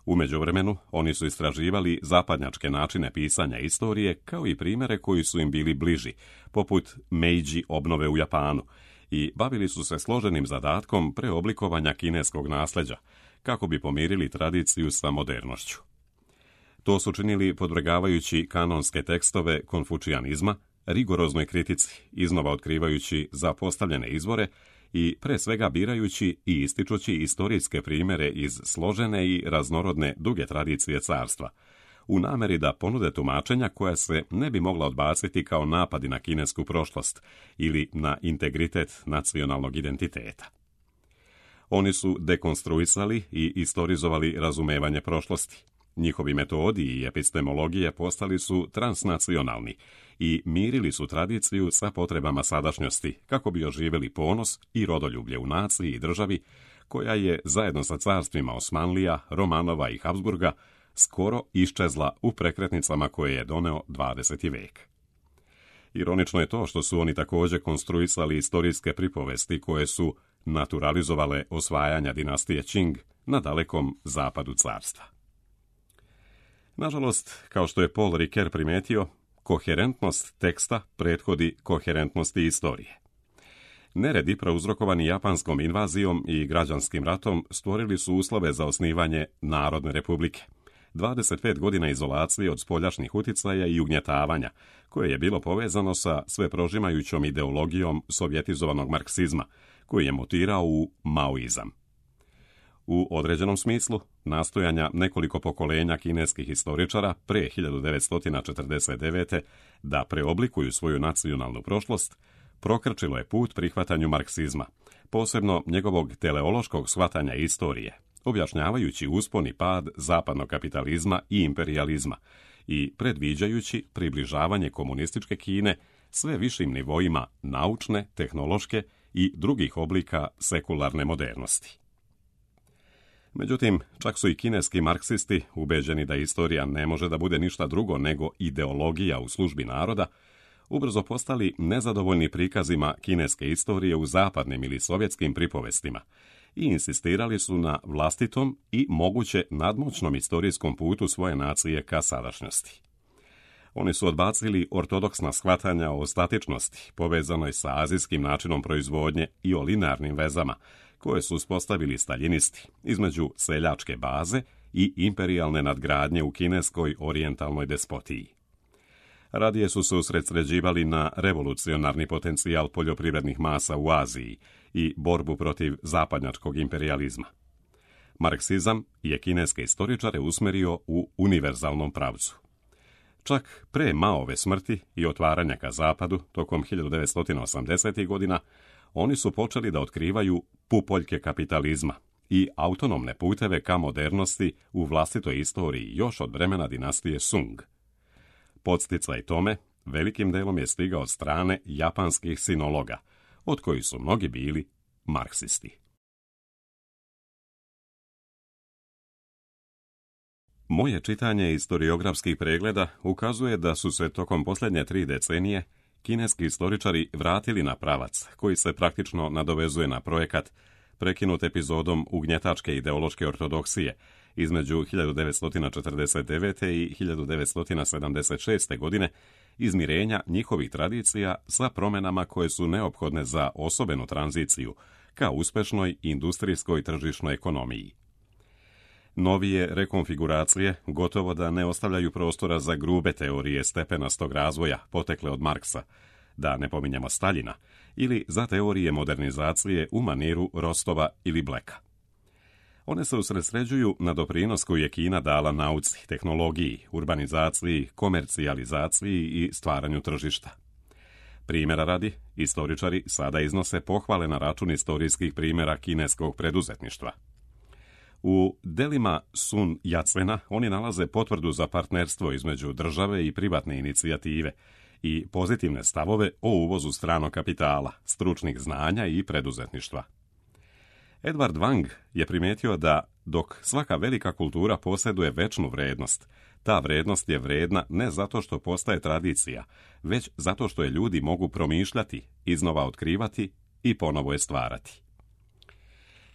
U međuvremenu, oni su istraživali zapadnjačke načine pisanja istorije, kao i primjere koji su im bili bliži, poput Meiji obnove u Japanu, i bavili su se složenim zadatkom preoblikovanja kineskog nasljeđa, kako bi pomirili tradiciju sa modernošću. To su činili podvrgavajući kanonske tekstove konfučijanizma, rigoroznoj kritici, iznova otkrivajući zapostavljene izvore i pre svega birajući i ističući istorijske primjere iz složene i raznorodne duge tradicije carstva, u nameri da ponude tumačenja koja se ne bi mogla odbaciti kao napadi na kinesku prošlost ili na integritet nacionalnog identiteta. Oni su dekonstruisali i istorizovali razumevanje prošlosti. Njihovi metodi i epistemologije postali su transnacionalni i mirili su tradiciju sa potrebama sadašnjosti kako bi oživjeli ponos i rodoljublje u naciji i državi koja je zajedno sa carstvima Osmanlija, Romanova i Habsburga skoro iščezla u prekretnicama koje je doneo dvadeseti vek. Ironično je to što su oni također konstruisali istorijske pripovesti koje su naturalizovale osvajanja dinastije Qing na dalekom zapadu carstva. Nažalost, kao što je Paul Ricoeur primetio, koherentnost teksta prethodi koherentnosti istorije. Neredi prouzrokovani japanskom invazijom i građanskim ratom stvorili su uslove za osnivanje Narodne republike. dvadeset pet godina izolacije od spoljašnjih uticaja i ugnjetavanja, koje je bilo povezano sa sveprožimajućom ideologijom sovjetizovanog marksizma, koji je mutirao u maoizam. U određenom smislu, nastojanja nekoliko pokolenja kineskih historičara pre hiljadu devetsto četrdeset devete. da preoblikuju svoju nacionalnu prošlost, prokrčilo je put prihvatanju marksizma, posebno njegovog teleološkog shvatanja istorije, objašnjavajući uspon i pad zapadnog kapitalizma i imperijalizma i predviđajući približavanje komunističke Kine sve višim nivoima naučne, tehnološke i drugih oblika sekularne modernosti. Međutim, čak su i kineski marksisti, ubeđeni da istorija ne može da bude ništa drugo nego ideologija u službi naroda, ubrzo postali nezadovoljni prikazima kineske istorije u zapadnim ili sovjetskim pripovestima i insistirali su na vlastitom i moguće nadmoćnom istorijskom putu svoje nacije ka sadašnjosti. Oni su odbacili ortodoksna shvatanja o statičnosti povezanoj sa azijskim načinom proizvodnje i o linearnim vezama koje su uspostavili staljinisti između seljačke baze i imperijalne nadgradnje u kineskoj orijentalnoj despotiji. Radije su se usredsređivali na revolucionarni potencijal poljoprivrednih masa u Aziji i borbu protiv zapadnjačkog imperijalizma. Marksizam je kineske istoričare usmerio u univerzalnom pravcu. Čak pre Maove smrti i otvaranja ka zapadu tokom hiljadu devetsto osamdesetih godina, oni su počeli da otkrivaju pupoljke kapitalizma i autonomne puteve ka modernosti u vlastitoj istoriji još od vremena dinastije Sung. Podsticaj tome velikim delom je stigao od strane japanskih sinologa, od kojih su mnogi bili marksisti. Moje čitanje historiografskih pregleda ukazuje da su se tokom posljednje tri decenije kineski istoričari vratili na pravac koji se praktično nadovezuje na projekat prekinut epizodom ugnjetačke ideološke ortodoksije između hiljadu devetsto četrdeset devete. i hiljadu devetsto sedamdeset šeste. godine, izmirenja njihovih tradicija sa promjenama koje su neophodne za osobenu tranziciju ka uspešnoj industrijskoj tržišnoj ekonomiji. Novije rekonfiguracije gotovo da ne ostavljaju prostora za grube teorije stepenastog razvoja potekle od Marksa, da ne pominjemo Staljina, ili za teorije modernizacije u maniru Rostova ili Bleka. One se usredsređuju na doprinos koji je Kina dala nauci, tehnologiji, urbanizaciji, komercijalizaciji i stvaranju tržišta. Primjera radi, istoričari sada iznose pohvale na račun istorijskih primjera kineskog preduzetništva. U delima Sun Yat-sena oni nalaze potvrdu za partnerstvo između države i privatne inicijative i pozitivne stavove o uvozu stranog kapitala, stručnih znanja i preduzetništva. Edward Wang je primijetio da dok svaka velika kultura posjeduje večnu vrednost, ta vrednost je vredna ne zato što postaje tradicija, već zato što je ljudi mogu promišljati, iznova otkrivati i ponovo je stvarati.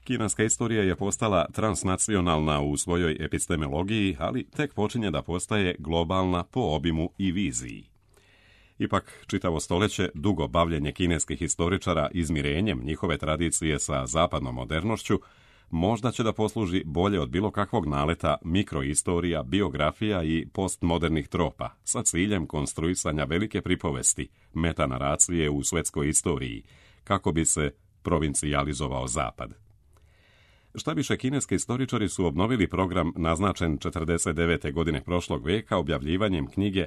Kineska istorija je postala transnacionalna u svojoj epistemologiji, ali tek počinje da postaje globalna po obimu i viziji. Ipak, čitavo stoljeće dugo bavljenje kineskih istoričara izmirenjem njihove tradicije sa zapadnom modernošću možda će da posluži bolje od bilo kakvog naleta mikroistorija, biografija i postmodernih tropa sa ciljem konstruisanja velike pripovesti, metanaracije u svetskoj istoriji, kako bi se provincijalizovao zapad. Šta više, kineski istoričari su obnovili program naznačen četrdeset devete. godine prošlog veka objavljivanjem knjige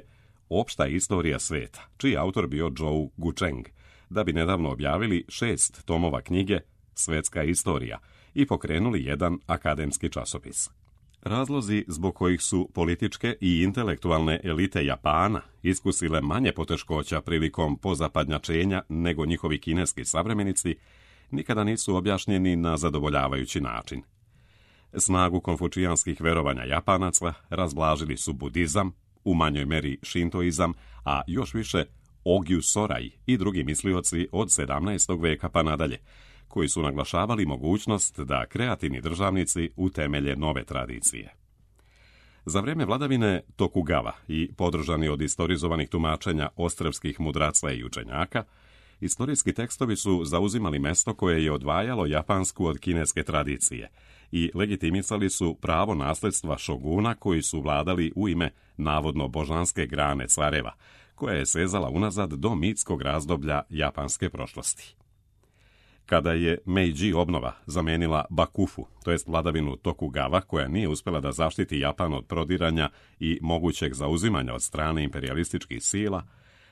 Opšta istorija sveta, čiji autor bio Zhou Gucheng, da bi nedavno objavili šest tomova knjige Svetska istorija i pokrenuli jedan akademski časopis. Razlozi zbog kojih su političke i intelektualne elite Japana iskusile manje poteškoća prilikom pozapadnjačenja nego njihovi kineski savremenici nikada nisu objašnjeni na zadovoljavajući način. Snagu konfučijanskih verovanja Japanaca razblažili su budizam, u manjoj meri šintoizam, a još više Ogyu Sorai i drugi mislioci od sedamnaestog. veka pa nadalje, koji su naglašavali mogućnost da kreativni državnici utemelje nove tradicije. Za vrijeme vladavine Tokugawa i podržani od istorizovanih tumačenja ostrvskih mudraca i učenjaka, istorijski tekstovi su zauzimali mesto koje je odvajalo japansku od kineske tradicije i legitimisali su pravo nasljedstva šoguna koji su vladali u ime navodno božanske grane careva, koja je sezala unazad do mitskog razdoblja japanske prošlosti. Kada je Meiji obnova zamenila Bakufu, to jest vladavinu Tokugawa, koja nije uspjela da zaštiti Japan od prodiranja i mogućeg zauzimanja od strane imperialističkih sila,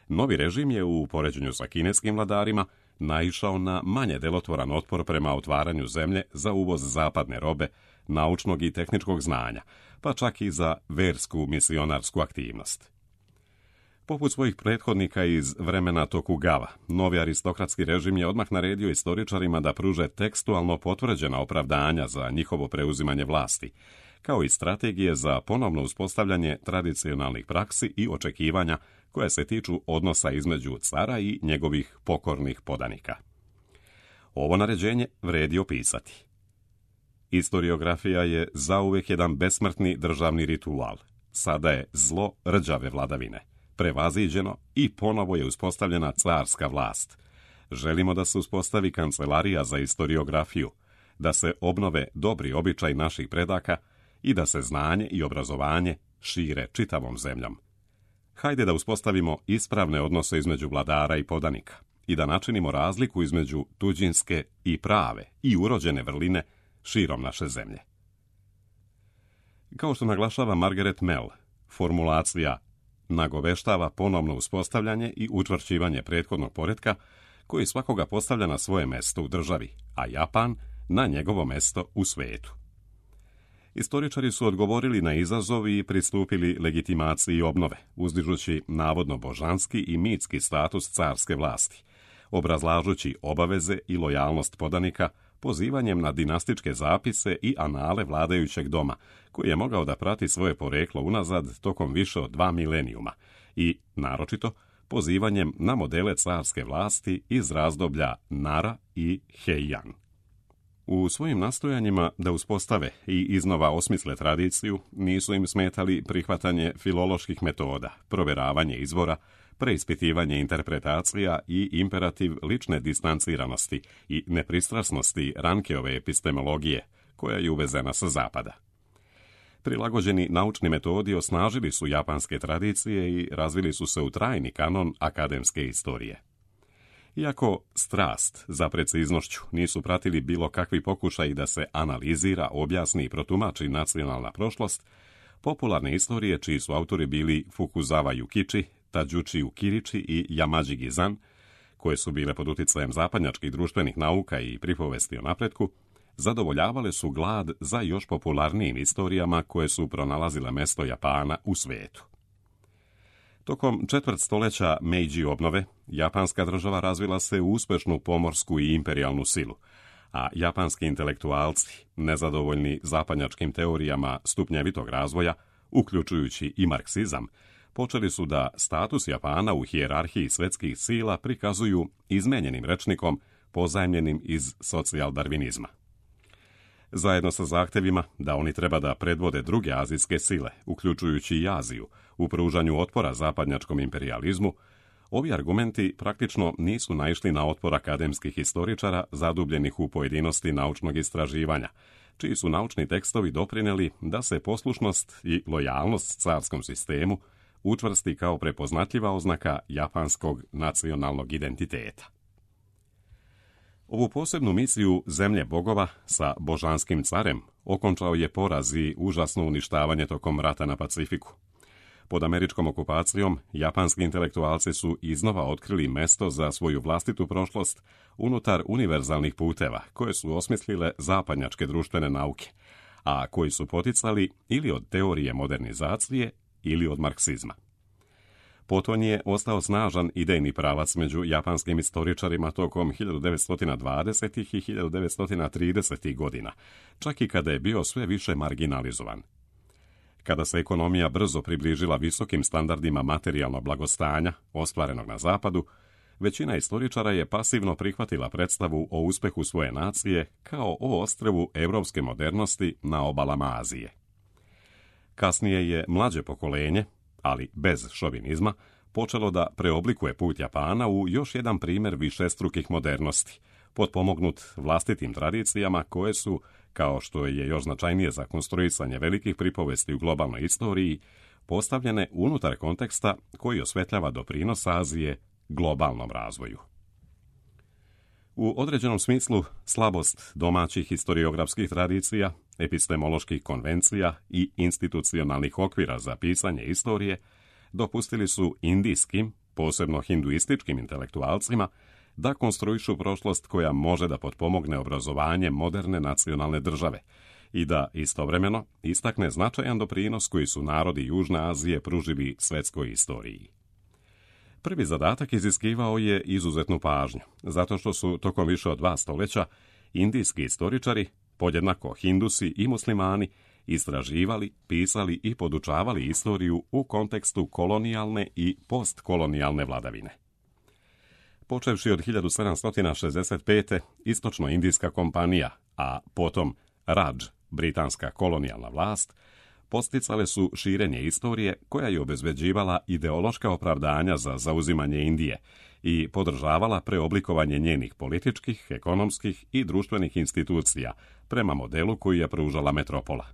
novi režim je u poređenju sa kineskim vladarima naišao na manje delotvoran otpor prema otvaranju zemlje za uvoz zapadne robe, naučnog i tehničkog znanja, pa čak i za versku misionarsku aktivnost. Poput svojih prethodnika iz vremena Tokugawa, novi aristokratski režim je odmah naredio istoričarima da pruže tekstualno potvrđena opravdanja za njihovo preuzimanje vlasti, kao i strategije za ponovno uspostavljanje tradicionalnih praksi i očekivanja koje se tiču odnosa između cara i njegovih pokornih podanika. Ovo naređenje vredi opisati. Istoriografija je zauvek jedan besmrtni državni ritual. Sada je zlo rđave vladavine prevaziđeno i ponovo je uspostavljena carska vlast. Želimo da se uspostavi kancelarija za istoriografiju, da se obnove dobri običaj naših predaka i da se znanje i obrazovanje šire čitavom zemljom. Hajde da uspostavimo ispravne odnose između vladara i podanika i da načinimo razliku između tuđinske i prave i urođene vrline širom naše zemlje. Kao što naglašava Margaret Mell, formulacija nagoveštava ponovno uspostavljanje i učvršćivanje prethodnog poretka koji svakoga postavlja na svoje mesto u državi, a Japan na njegovo mesto u svetu. Istoričari su odgovorili na izazov i pristupili legitimaciji obnove, uzdižući navodno božanski i mitski status carske vlasti, obrazlažući obaveze i lojalnost podanika pozivanjem na dinastičke zapise i anale vladajućeg doma, koji je mogao da prati svoje poreklo unazad tokom više od dva milenijuma i, naročito, pozivanjem na modele carske vlasti iz razdoblja Nara i Heian. U svojim nastojanjima da uspostave i iznova osmisle tradiciju, nisu im smetali prihvatanje filoloških metoda, proveravanje izvora, preispitivanje interpretacija i imperativ lične distanciranosti i nepristrasnosti Rankeove epistemologije, koja je uvezena sa zapada. Prilagođeni naučni metodi osnažili su japanske tradicije i razvili su se u trajni kanon akademske istorije. Iako strast za preciznošću nisu pratili bilo kakvi pokušaji da se analizira, objasni i protumači nacionalna prošlost, popularne istorije čiji su autori bili Fukuzawa Yukichi, Tadžuči Ukiriči i Yamaji Gizan, koje su bile pod uticajem zapadnjačkih društvenih nauka i pripovesti o napretku, zadovoljavale su glad za još popularnijim istorijama koje su pronalazile mesto Japana u svetu. Tokom četvrt stoljeća Meiji obnove, japanska država razvila se u uspešnu pomorsku i imperijalnu silu, a japanski intelektualci, nezadovoljni zapadnjačkim teorijama stupnjevitog razvoja, uključujući i marksizam, počeli su da status Japana u hijerarhiji svetskih sila prikazuju izmenjenim rečnikom pozajmljenim iz socijal-darvinizma. Zajedno sa zahtevima da oni treba da predvode druge azijske sile, uključujući i Aziju, u pružanju otpora zapadnjačkom imperijalizmu, ovi argumenti praktično nisu naišli na otpor akademskih historičara zadubljenih u pojedinosti naučnog istraživanja, čiji su naučni tekstovi doprineli da se poslušnost i lojalnost carskom sistemu učvrsti kao prepoznatljiva oznaka japanskog nacionalnog identiteta. Ovu posebnu misiju zemlje bogova sa božanskim carem okončao je poraz i užasno uništavanje tokom rata na Pacifiku. Pod američkom okupacijom, japanski intelektualci su iznova otkrili mesto za svoju vlastitu prošlost unutar univerzalnih puteva koje su osmislile zapadnjačke društvene nauke, a koji su poticali ili od teorije modernizacije ili od marksizma. Poton je ostao snažan idejni pravac među japanskim istoričarima tokom hiljadu devetsto dvadesetih i hiljadu devetsto tridesetih godina, čak i kada je bio sve više marginalizovan. Kada se ekonomija brzo približila visokim standardima materijalnog blagostanja, ostvarenog na zapadu, većina istoričara je pasivno prihvatila predstavu o uspehu svoje nacije kao o ostrvu evropske modernosti na obalama Azije. Kasnije je mlađe pokolenje, ali bez šovinizma, počelo da preoblikuje put Japana u još jedan primjer višestrukih modernosti, potpomognut vlastitim tradicijama koje su, kao što je još značajnije za konstruisanje velikih pripovesti u globalnoj istoriji, postavljene unutar konteksta koji osvetljava doprinos Azije globalnom razvoju. U određenom smislu, slabost domaćih historiografskih tradicija, epistemoloških konvencija i institucionalnih okvira za pisanje istorije dopustili su indijskim, posebno hinduističkim intelektualcima, da konstruišu prošlost koja može da potpomogne obrazovanje moderne nacionalne države i da istovremeno istakne značajan doprinos koji su narodi Južne Azije pružili svetskoj istoriji. Prvi zadatak iziskivao je izuzetnu pažnju, zato što su tokom više od dva stoljeća indijski istoričari, podjednako Hindusi i muslimani, istraživali, pisali i podučavali istoriju u kontekstu kolonijalne i postkolonijalne vladavine. Počevši od hiljadu sedamsto šezdeset pete. Istočno-indijska kompanija, a potom Radž, britanska kolonijalna vlast, posticale su širenje istorije koja je obezbeđivala ideološka opravdanja za zauzimanje Indije i podržavala preoblikovanje njenih političkih, ekonomskih i društvenih institucija prema modelu koji je pružala metropola.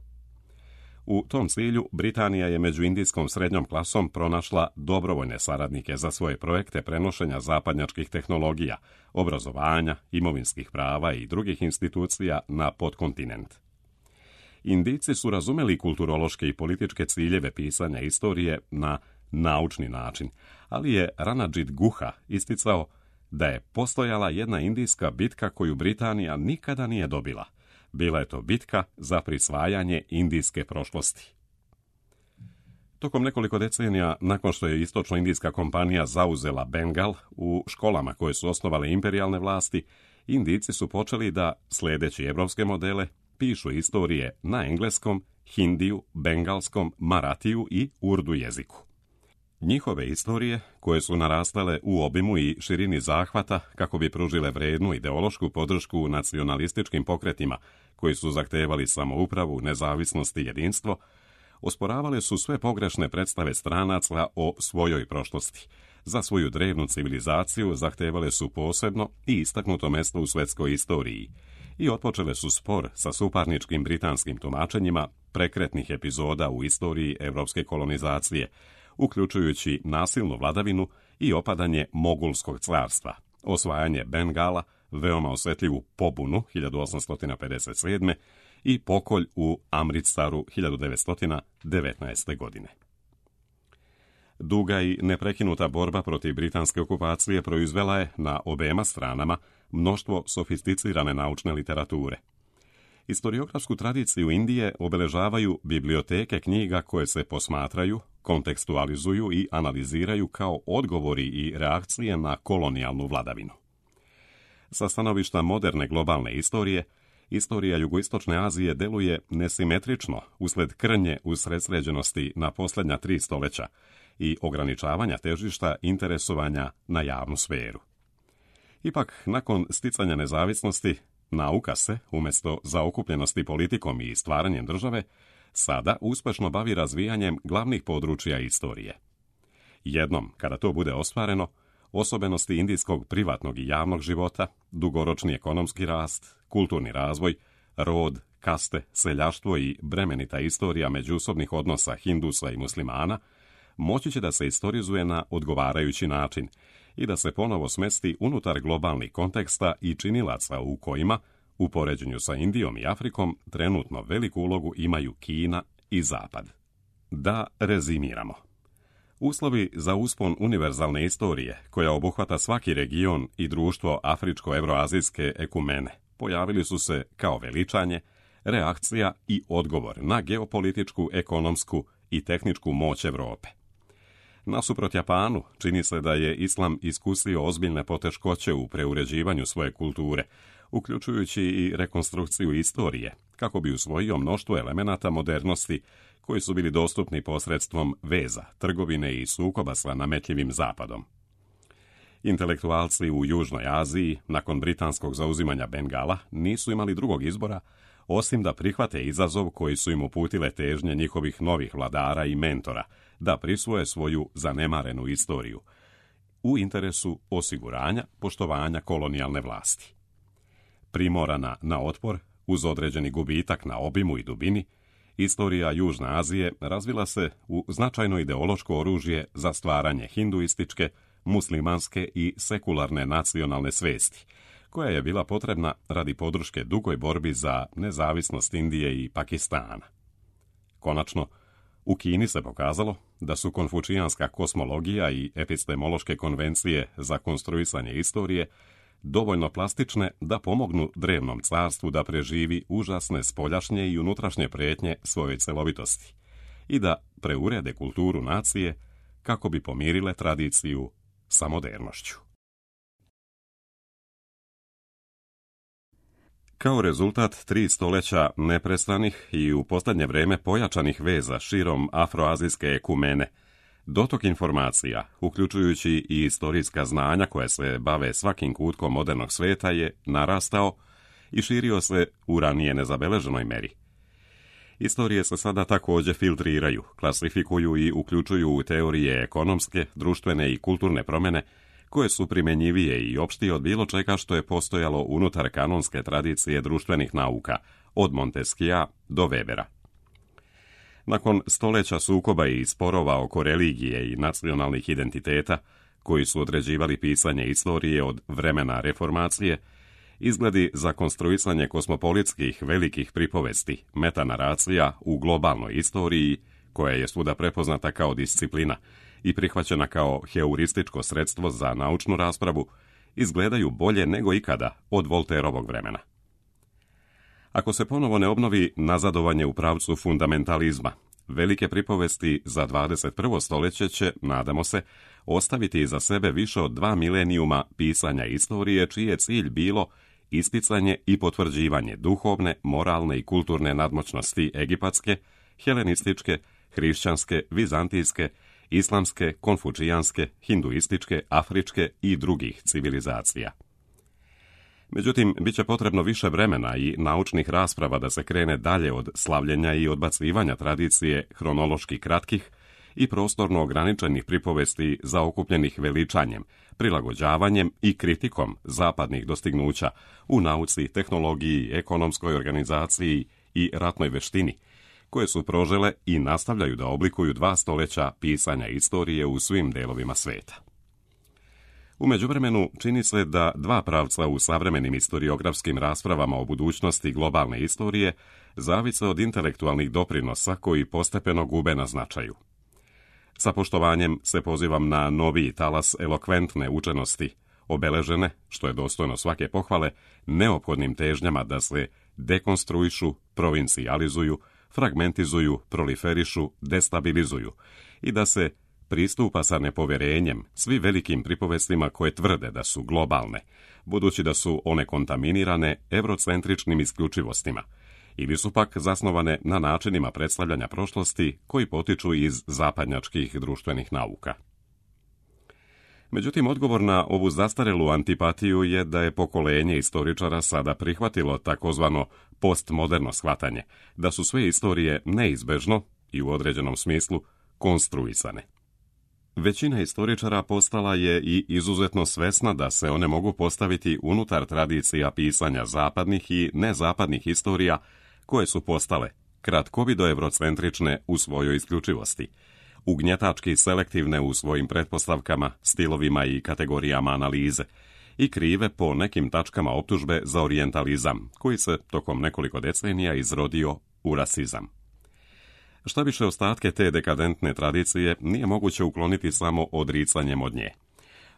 U tom cilju Britanija je među indijskom srednjom klasom pronašla dobrovoljne saradnike za svoje projekte prenošenja zapadnjačkih tehnologija, obrazovanja, imovinskih prava i drugih institucija na podkontinent. Indijci su razumeli kulturološke i političke ciljeve pisanja istorije na naučni način, ali je Ranajit Guha isticao da je postojala jedna indijska bitka koju Britanija nikada nije dobila. Bila je to bitka za prisvajanje indijske prošlosti. Tokom nekoliko decenija nakon što je istočno-indijska kompanija zauzela Bengal, u školama koje su osnovale imperijalne vlasti, Indijci su počeli da, sledeći evropske modele, pišu istorije na engleskom, hindiju, bengalskom, maratiju i urdu jeziku. Njihove istorije, koje su narastale u obimu i širini zahvata kako bi pružile vrednu ideološku podršku nacionalističkim pokretima koji su zahtevali samoupravu, nezavisnost i jedinstvo, osporavale su sve pogrešne predstave stranaca o svojoj prošlosti. Za svoju drevnu civilizaciju zahtevale su posebno i istaknuto mesto u svetskoj istoriji i otpočele su spor sa suparničkim britanskim tumačenjima prekretnih epizoda u istoriji evropske kolonizacije, uključujući nasilnu vladavinu i opadanje Mogulskog carstva, osvajanje Bengala, veoma osjetljivu pobunu hiljadu osamsto pedeset sedme. i pokolj u Amritsaru hiljadu devetsto devetnaeste. godine. Duga i neprekinuta borba protiv britanske okupacije proizvela je na obema stranama mnoštvo sofisticirane naučne literature. Historiografsku tradiciju Indije obeležavaju biblioteke knjiga koje se posmatraju, kontekstualizuju i analiziraju kao odgovori i reakcije na kolonijalnu vladavinu. Sa stanovišta moderne globalne istorije, istorija jugoistočne Azije deluje nesimetrično usled krnje usredsređenosti na posljednja tri stoljeća i ograničavanja težišta interesovanja na javnu sferu. Ipak, nakon sticanja nezavisnosti, nauka se, umjesto zaokupljenosti politikom i stvaranjem države, sada uspešno bavi razvijanjem glavnih područja istorije. Jednom, kada to bude ostvareno, osobenosti indijskog privatnog i javnog života, dugoročni ekonomski rast, kulturni razvoj, rod, kaste, seljaštvo i bremenita istorija međusobnih odnosa Hindusa i muslimana moći će da se istorizuje na odgovarajući način i da se ponovo smesti unutar globalnih konteksta i činilaca u kojima, u poređenju sa Indijom i Afrikom, trenutno veliku ulogu imaju Kina i Zapad. Da rezimiramo. Uslovi za uspon univerzalne istorije, koja obuhvata svaki region i društvo afričko-evroazijske ekumene, pojavili su se kao veličanje, reakcija i odgovor na geopolitičku, ekonomsku i tehničku moć Evrope. Nasuprot Japanu, čini se da je islam iskusio ozbiljne poteškoće u preuređivanju svoje kulture, uključujući i rekonstrukciju istorije, kako bi usvojio mnoštvo elemenata modernosti koji su bili dostupni posredstvom veza, trgovine i sukoba sa nametljivim zapadom. Intelektualci u Južnoj Aziji, nakon britanskog zauzimanja Bengala, nisu imali drugog izbora, osim da prihvate izazov koji su im uputile težnje njihovih novih vladara i mentora, da prisvoje svoju zanemarenu istoriju, u interesu osiguranja poštovanja kolonijalne vlasti. Primorana na otpor, uz određeni gubitak na obimu i dubini, istorija Južne Azije razvila se u značajno ideološko oružje za stvaranje hinduističke, muslimanske i sekularne nacionalne svesti, koja je bila potrebna radi podrške dugoj borbi za nezavisnost Indije i Pakistana. Konačno, u Kini se pokazalo da su konfučijanska kosmologija i epistemološke konvencije za konstruisanje istorije dovoljno plastične da pomognu drevnom carstvu da preživi užasne spoljašnje i unutrašnje prijetnje svojoj celovitosti i da preurede kulturu nacije kako bi pomirile tradiciju sa modernošću. Kao rezultat tri stoljeća neprestanih i u posljednje vrijeme pojačanih veza širom afroazijske ekumene, dotok informacija, uključujući i istorijska znanja koje se bave svakim kutkom modernog sveta, je narastao i širio se u ranije nezabeleženoj meri. Istorije se sada također filtriraju, klasifikuju i uključuju u teorije ekonomske, društvene i kulturne promjene koje su primjenjivije i opštije od bilo čega što je postojalo unutar kanonske tradicije društvenih nauka, od Montesquieua do Webera. Nakon stoljeća sukoba i sporova oko religije i nacionalnih identiteta, koji su određivali pisanje istorije od vremena reformacije, izgledi za konstruisanje kosmopolitskih velikih pripovesti, metanaracija u globalnoj istoriji, koja je svuda prepoznata kao disciplina i prihvaćena kao heurističko sredstvo za naučnu raspravu, izgledaju bolje nego ikada od Voltaireovog vremena. Ako se ponovo ne obnovi nazadovanje u pravcu fundamentalizma, velike pripovesti za dvadeset prvo stoljeće će, nadamo se, ostaviti iza sebe više od dva milenijuma pisanja istorije, čiji je cilj bilo isticanje i potvrđivanje duhovne, moralne i kulturne nadmoćnosti egipatske, helenističke, hrišćanske, vizantijske, islamske, konfučijanske, hinduističke, afričke i drugih civilizacija. Međutim, bit će potrebno više vremena i naučnih rasprava da se krene dalje od slavljenja i odbacivanja tradicije hronološki kratkih i prostorno ograničenih pripovesti zaokupljenih veličanjem, prilagođavanjem i kritikom zapadnih dostignuća u nauci, tehnologiji, ekonomskoj organizaciji i ratnoj veštini, koje su prožele i nastavljaju da oblikuju dva stoljeća pisanja istorije u svim delovima sveta. U međuvremenu čini se da dva pravca u savremenim historiografskim raspravama o budućnosti globalne istorije zavise od intelektualnih doprinosa koji postepeno gube na značaju. Sa poštovanjem se pozivam na noviji talas elokventne učenosti, obeležene, što je dostojno svake pohvale, neophodnim težnjama da se dekonstruišu, provincijalizuju, fragmentizuju, proliferišu, destabilizuju i da se pristupa sa nepovjerenjem svi velikim pripovestima koje tvrde da su globalne, budući da su one kontaminirane eurocentričnim isključivostima, ili su pak zasnovane na načinima predstavljanja prošlosti koji potiču iz zapadnjačkih društvenih nauka. Međutim, odgovor na ovu zastarelu antipatiju je da je pokolenje istoričara sada prihvatilo takozvano postmoderno shvatanje, da su sve istorije neizbežno i u određenom smislu konstruisane. Većina istoričara postala je i izuzetno svesna da se one mogu postaviti unutar tradicija pisanja zapadnih i nezapadnih istorija, koje su postale kratkovido eurocentrične u svojoj isključivosti, ugnjetački selektivne u svojim pretpostavkama, stilovima i kategorijama analize i krive po nekim tačkama optužbe za orijentalizam, koji se tokom nekoliko decenija izrodio u rasizam. Šta više, ostatke te dekadentne tradicije nije moguće ukloniti samo odricanjem od nje.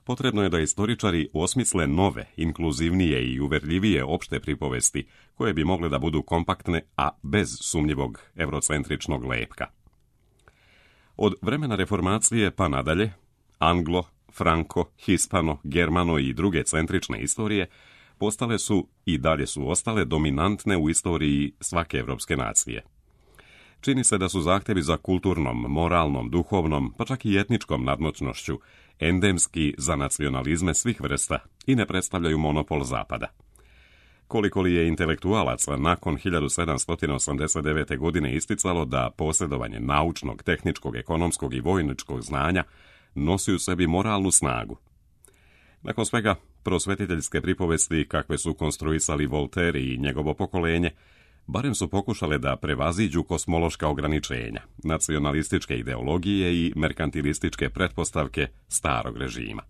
Potrebno je da istoričari osmisle nove, inkluzivnije i uverljivije opšte pripovesti, koje bi mogle da budu kompaktne, a bez sumnjivog eurocentričnog lepka. Od vremena reformacije pa nadalje, anglo, franko, hispano, germano i druge centrične istorije postale su i dalje su ostale dominantne u istoriji svake evropske nacije. Čini se da su zahtjevi za kulturnom, moralnom, duhovnom, pa čak i etničkom nadmoćnošću endemski za nacionalizme svih vrsta i ne predstavljaju monopol Zapada. Koliko li je intelektualaca nakon hiljadu sedamsto osamdeset devete. godine isticalo da posjedovanje naučnog, tehničkog, ekonomskog i vojničkog znanja nosi u sebi moralnu snagu. Nakon svega, prosvetiteljske pripovesti kakve su konstruisali Voltaire i njegovo pokolenje, barem su pokušale da prevaziđu kosmološka ograničenja, nacionalističke ideologije i merkantilističke pretpostavke starog režima.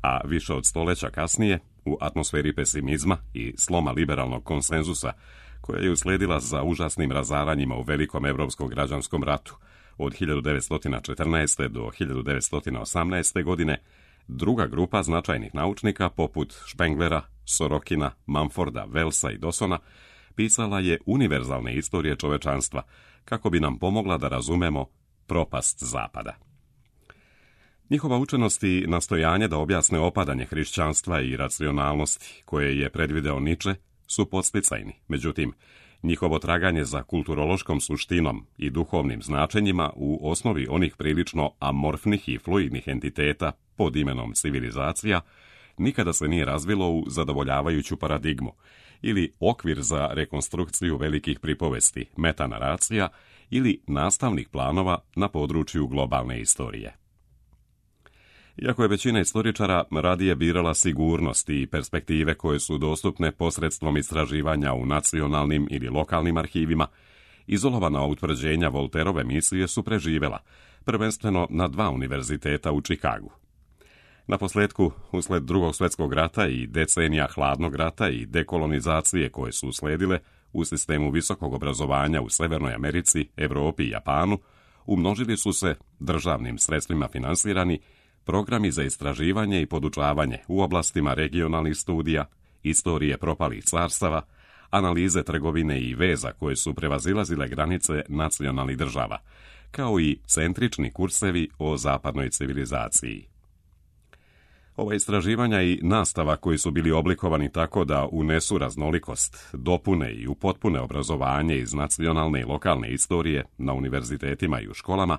A više od stoljeća kasnije, u atmosferi pesimizma i sloma liberalnog konsenzusa, koja je usledila za užasnim razaranjima u velikom evropskom građanskom ratu od hiljadu devetsto četrnaeste. do hiljadu devetsto osamnaeste. godine, druga grupa značajnih naučnika poput Špenglera, Sorokina, Mumforda, Wellsa i Dawsona pisala je univerzalne istorije čovečanstva kako bi nam pomogla da razumemo propast Zapada. Njihova učenost i nastojanje da objasne opadanje hrišćanstva i racionalnosti, koje je predvideo Nietzsche, su podsticajni. Međutim, njihovo traganje za kulturološkom suštinom i duhovnim značenjima u osnovi onih prilično amorfnih i fluidnih entiteta pod imenom civilizacija nikada se nije razvilo u zadovoljavajuću paradigmu ili okvir za rekonstrukciju velikih pripovesti, metanaracija ili nastavnih planova na području globalne istorije. Iako je većina istoričara radije birala sigurnost i perspektive koje su dostupne posredstvom istraživanja u nacionalnim ili lokalnim arhivima, izolovana utvrđenja Volterove misije su preživela, prvenstveno na dva univerziteta u Čikagu. Naposljetku, usled Drugog svjetskog rata i decenija hladnog rata i dekolonizacije koje su usledile u sistemu visokog obrazovanja u Severnoj Americi, Europi i Japanu, umnožili su se, državnim sredstvima finansirani, programi za istraživanje i podučavanje u oblastima regionalnih studija, istorije propalih carstava, analize trgovine i veza koje su prevazilazile granice nacionalnih država, kao i centrični kursevi o zapadnoj civilizaciji. Ova istraživanja i nastava koji su bili oblikovani tako da unesu raznolikost, dopune i upotpune obrazovanje iz nacionalne i lokalne istorije na univerzitetima i u školama,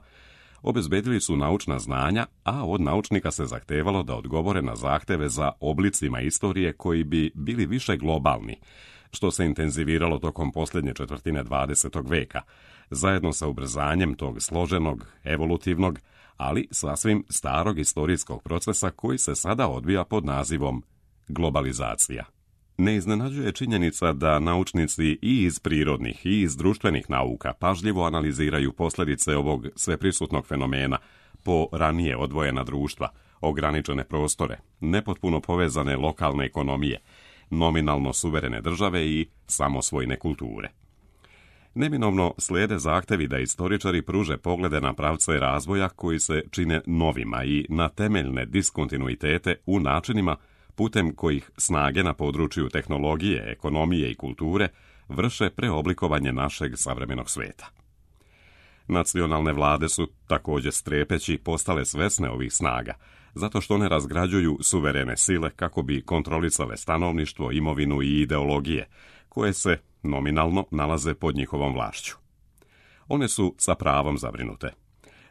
obezbedili su naučna znanja, a od naučnika se zahtevalo da odgovore na zahteve za oblicima istorije koji bi bili više globalni, što se intenziviralo tokom posljednje četvrtine dvadesetog veka, zajedno sa ubrzanjem tog složenog, evolutivnog, ali sasvim starog istorijskog procesa koji se sada odvija pod nazivom globalizacija. Ne iznenađuje činjenica da naučnici i iz prirodnih i iz društvenih nauka pažljivo analiziraju posljedice ovog sveprisutnog fenomena po ranije odvojena društva, ograničene prostore, nepotpuno povezane lokalne ekonomije, nominalno suverene države i samosvojne kulture. Neminovno slijede zahtevi da istoričari pruže poglede na pravce razvoja koji se čine novima i na temeljne diskontinuitete u načinima putem kojih snage na području tehnologije, ekonomije i kulture vrše preoblikovanje našeg savremenog sveta. Nacionalne vlade su također strepeći postale svesne ovih snaga, zato što one razgrađuju suverene sile kako bi kontrolisale stanovništvo, imovinu i ideologije, koje se nominalno nalaze pod njihovom vlašću. One su sa pravom zabrinute.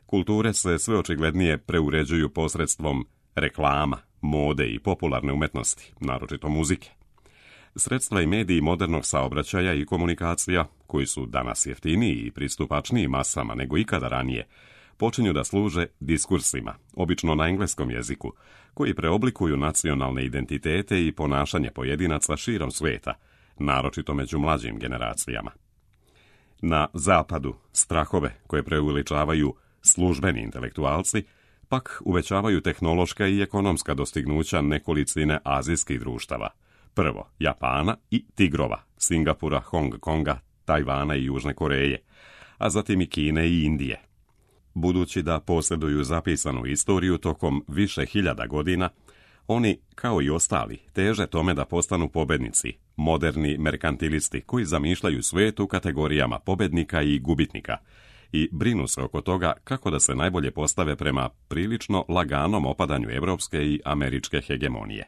Kulture se sve očiglednije preuređuju posredstvom reklama, mode i popularne umetnosti, naročito muzike. Sredstva i mediji modernog saobraćaja i komunikacija, koji su danas jeftiniji i pristupačniji masama nego ikada ranije, počinju da služe diskursima, obično na engleskom jeziku, koji preoblikuju nacionalne identitete i ponašanje pojedinaca širom sveta, naročito među mlađim generacijama. Na zapadu strahove koje preuveličavaju službeni intelektualci pak uvećavaju tehnološka i ekonomska dostignuća nekolicine azijskih društava. Prvo Japana i tigrova, Singapura, Hong Konga, Tajvana i Južne Koreje, a zatim i Kine i Indije. Budući da posjeduju zapisanu istoriju tokom više hiljada godina, oni, kao i ostali, teže tome da postanu pobednici, moderni merkantilisti koji zamišljaju svijet u kategorijama pobednika i gubitnika i brinu se oko toga kako da se najbolje postave prema prilično laganom opadanju evropske i američke hegemonije.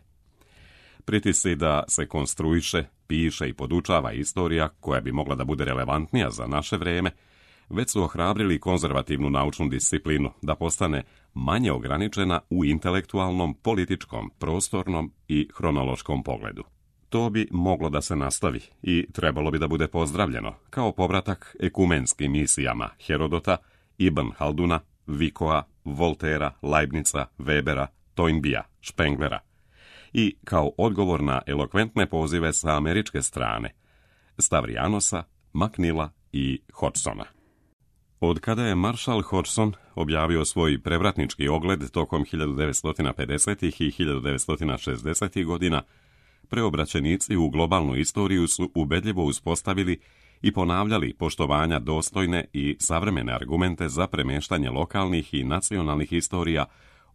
Pritisci da se konstruiše, piše i podučava istorija koja bi mogla da bude relevantnija za naše vrijeme, već su ohrabrili konzervativnu naučnu disciplinu da postane manje ograničena u intelektualnom, političkom, prostornom i hronološkom pogledu. To bi moglo da se nastavi i trebalo bi da bude pozdravljeno kao povratak ekumenskim misijama Herodota, Ibn Halduna, Vicoa, Voltera, Leibnica, Webera, Toynbija, Spenglera i kao odgovor na elokventne pozive sa američke strane Stavrijanosa, McNeila i Hodgsona. Od kada je Marshall Hodgson objavio svoj prevratnički ogled tokom hiljadu devetsto pedesetih i hiljadu devetsto šezdesetih godina, preobraćenici u globalnu istoriju su ubedljivo uspostavili i ponavljali poštovanja dostojne i savremene argumente za premeštanje lokalnih i nacionalnih istorija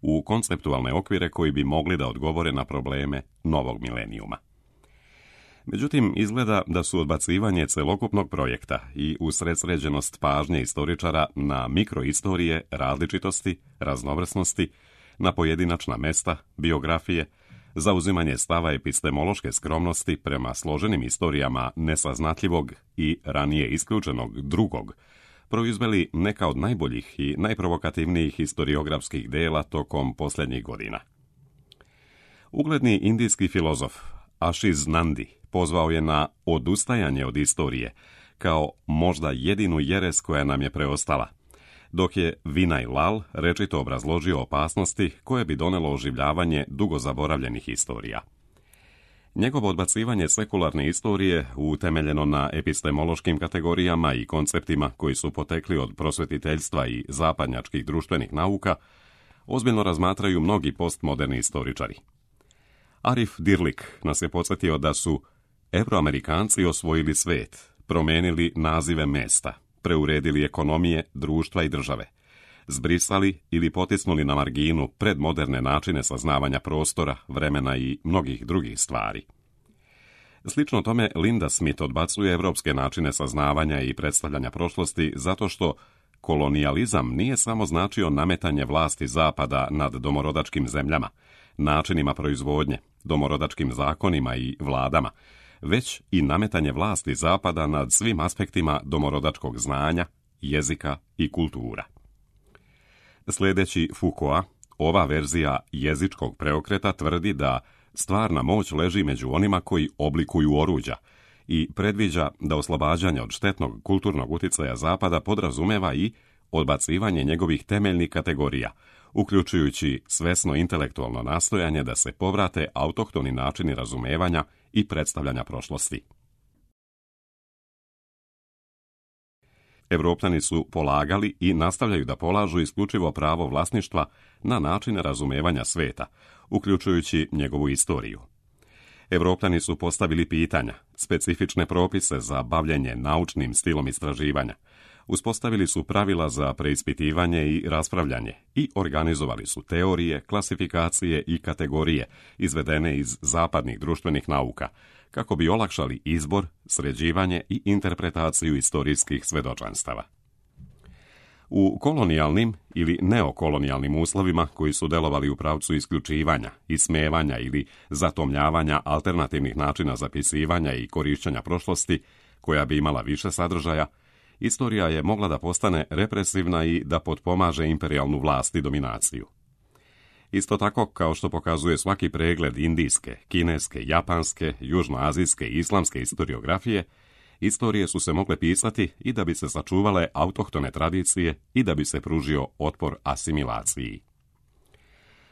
u konceptualne okvire koji bi mogli da odgovore na probleme novog milenijuma. Međutim, izgleda da su odbacivanje celokupnog projekta i usredsređenost pažnje istoričara na mikroistorije, različitosti, raznovrsnosti, na pojedinačna mesta, biografije, zauzimanje stava epistemološke skromnosti prema složenim istorijama nesaznatljivog i ranije isključenog drugog, proizveli neka od najboljih i najprovokativnijih historiografskih dela tokom posljednjih godina. Ugledni indijski filozof Ashish Nandi pozvao je na odustajanje od istorije kao možda jedinu jeres koja nam je preostala, dok je Vinay Lal rečito obrazložio opasnosti koje bi donelo oživljavanje dugo zaboravljenih istorija. Njegovo odbacivanje sekularne istorije, utemeljeno na epistemološkim kategorijama i konceptima koji su potekli od prosvetiteljstva i zapadnjačkih društvenih nauka, ozbiljno razmatraju mnogi postmoderni istoričari. Arif Dirlik nas je podsjetio da su Evroamerikanci osvojili svijet, promijenili nazive mesta, preuredili ekonomije, društva i države, zbrisali ili potisnuli na marginu predmoderne načine saznavanja prostora, vremena i mnogih drugih stvari. Slično tome, Linda Smith odbacuje evropske načine saznavanja i predstavljanja prošlosti zato što kolonijalizam nije samo značio nametanje vlasti Zapada nad domorodačkim zemljama, načinima proizvodnje, domorodačkim zakonima i vladama, već i nametanje vlasti Zapada nad svim aspektima domorodačkog znanja, jezika i kultura. Sljedeći Foucaulta, ova verzija jezičkog preokreta tvrdi da stvarna moć leži među onima koji oblikuju oruđa i predviđa da oslobađanje od štetnog kulturnog utjecaja Zapada podrazumeva i odbacivanje njegovih temeljnih kategorija, uključujući svesno intelektualno nastojanje da se povrate autohtoni načini razumevanja i predstavljanja prošlosti. Evropljani su polagali i nastavljaju da polažu isključivo pravo vlasništva na načine razumevanja sveta, uključujući njegovu istoriju. Evropljani su postavili pitanja, specifične propise za bavljenje naučnim stilom istraživanja, uspostavili su pravila za preispitivanje i raspravljanje i organizovali su teorije, klasifikacije i kategorije izvedene iz zapadnih društvenih nauka, kako bi olakšali izbor, sređivanje i interpretaciju istorijskih svedočanstava. U kolonijalnim ili neokolonijalnim uslovima koji su delovali u pravcu isključivanja, ismevanja ili zatomljavanja alternativnih načina zapisivanja i korišćenja prošlosti, koja bi imala više sadržaja, istorija je mogla da postane represivna i da potpomaže imperijalnu vlast i dominaciju. Isto tako, kao što pokazuje svaki pregled indijske, kineske, japanske, južnoazijske i islamske historiografije, istorije su se mogle pisati i da bi se sačuvale autohtone tradicije i da bi se pružio otpor asimilaciji.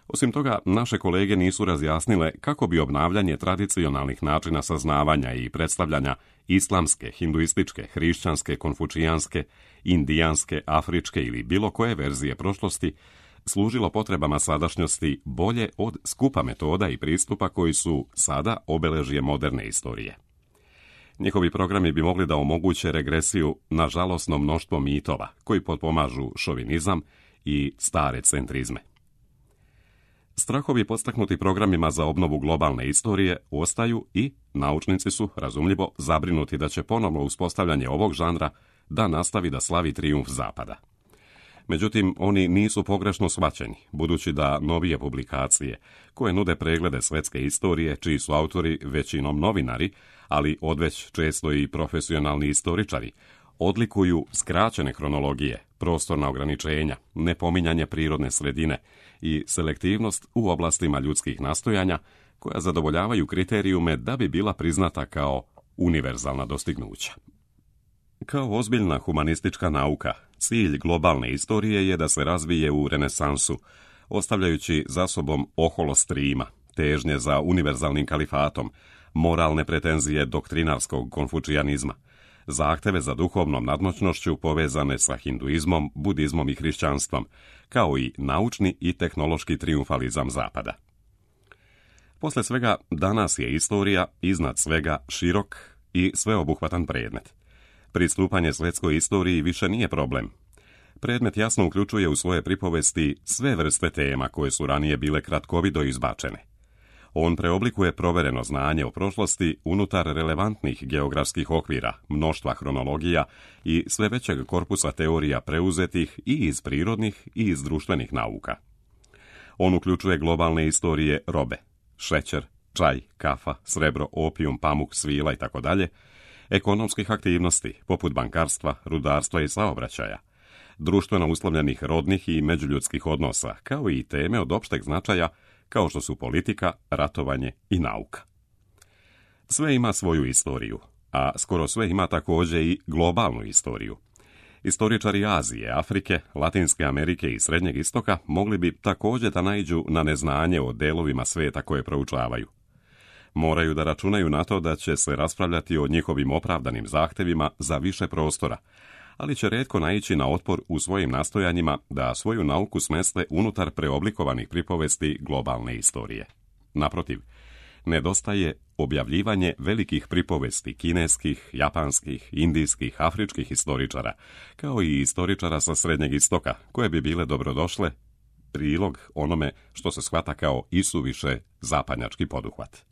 Osim toga, naše kolege nisu razjasnile kako bi obnavljanje tradicionalnih načina saznavanja i predstavljanja islamske, hinduističke, hrišćanske, konfučijanske, indijanske, afričke ili bilo koje verzije prošlosti služilo potrebama sadašnjosti bolje od skupa metoda i pristupa koji su sada obeležje moderne istorije. Njihovi programi bi mogli da omoguće regresiju na žalosno mnoštvo mitova koji potpomažu šovinizam i stare centrizme. Strahovi podstaknuti programima za obnovu globalne istorije ostaju i naučnici su, razumljivo, zabrinuti da će ponovno uspostavljanje ovog žanra da nastavi da slavi trijumf Zapada. Međutim, oni nisu pogrešno shvaćeni, budući da novije publikacije, koje nude preglede svetske istorije, čiji su autori većinom novinari, ali odveć često i profesionalni istoričari, odlikuju skraćene hronologije, prostorna ograničenja, nepominjanje prirodne sredine i selektivnost u oblastima ljudskih nastojanja, koja zadovoljavaju kriterijume da bi bila priznata kao univerzalna dostignuća. Kao ozbiljna humanistička nauka, cilj globalne istorije je da se razvije u renesansu, ostavljajući za sobom oholost Rima, težnje za univerzalnim kalifatom, moralne pretenzije doktrinarskog konfučijanizma, zahteve za duhovnom nadmoćnošću povezane sa hinduizmom, budizmom i hrišćanstvom, kao i naučni i tehnološki trijumfalizam Zapada. Posle svega, danas je istorija iznad svega širok i sveobuhvatan predmet. Pristupanje svetskoj istoriji više nije problem. Predmet jasno uključuje u svoje pripovesti sve vrste tema koje su ranije bile kratkovido izbačene. On preoblikuje provereno znanje o prošlosti unutar relevantnih geografskih okvira, mnoštva hronologija i sve većeg korpusa teorija preuzetih i iz prirodnih i iz društvenih nauka. On uključuje globalne istorije robe, šećer, čaj, kafa, srebro, opijum, pamuk, svila itd., ekonomskih aktivnosti poput bankarstva, rudarstva i saobraćaja, društveno uslovljenih rodnih i međuljudskih odnosa, kao i teme od opšteg značaja kao što su politika, ratovanje i nauka. Sve ima svoju istoriju, a skoro sve ima također i globalnu istoriju. Istoričari Azije, Afrike, Latinske Amerike i Srednjeg istoka mogli bi također da naiđu na neznanje o delovima svijeta koje proučavaju. Moraju da računaju na to da će se raspravljati o njihovim opravdanim zahtevima za više prostora, ali će rijetko naići na otpor u svojim nastojanjima da svoju nauku smeste unutar preoblikovanih pripovesti globalne istorije. Naprotiv, nedostaje objavljivanje velikih pripovesti kineskih, japanskih, indijskih, afričkih istoričara, kao i istoričara sa Srednjeg istoka, koje bi bile dobrodošle prilog onome što se shvata kao isuviše zapadnjački poduhvat.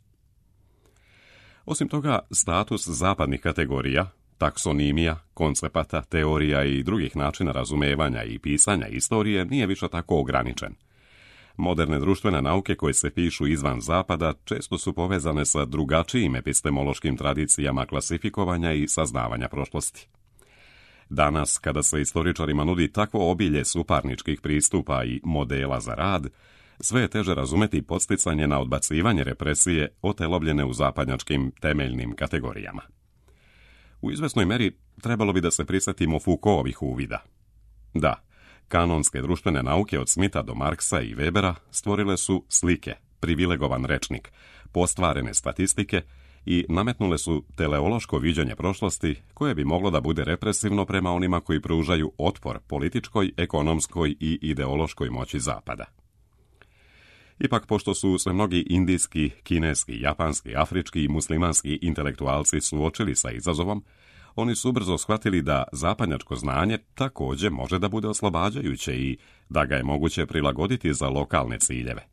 Osim toga, status zapadnih kategorija, taksonimija, koncepata, teorija i drugih načina razumevanja i pisanja istorije nije više tako ograničen. Moderne društvene nauke koje se pišu izvan zapada često su povezane sa drugačijim epistemološkim tradicijama klasifikovanja i saznavanja prošlosti. Danas, kada se istoričarima nudi takvo obilje suparničkih pristupa i modela za rad, sve je teže razumeti podsticanje na odbacivanje represije otelobljene u zapadnjačkim temeljnim kategorijama. U izvesnoj meri trebalo bi da se prisjetimo Foucaultovih uvida. Da, kanonske društvene nauke od Smitha do Marksa i Webera stvorile su slike, privilegovan rečnik, postvarene statistike i nametnule su teleološko viđenje prošlosti koje bi moglo da bude represivno prema onima koji pružaju otpor političkoj, ekonomskoj i ideološkoj moći Zapada. Ipak, pošto su se mnogi indijski, kineski, japanski, afrički i muslimanski intelektualci suočili sa izazovom, oni su brzo shvatili da zapadnjačko znanje također može da bude oslobađajuće i da ga je moguće prilagoditi za lokalne ciljeve.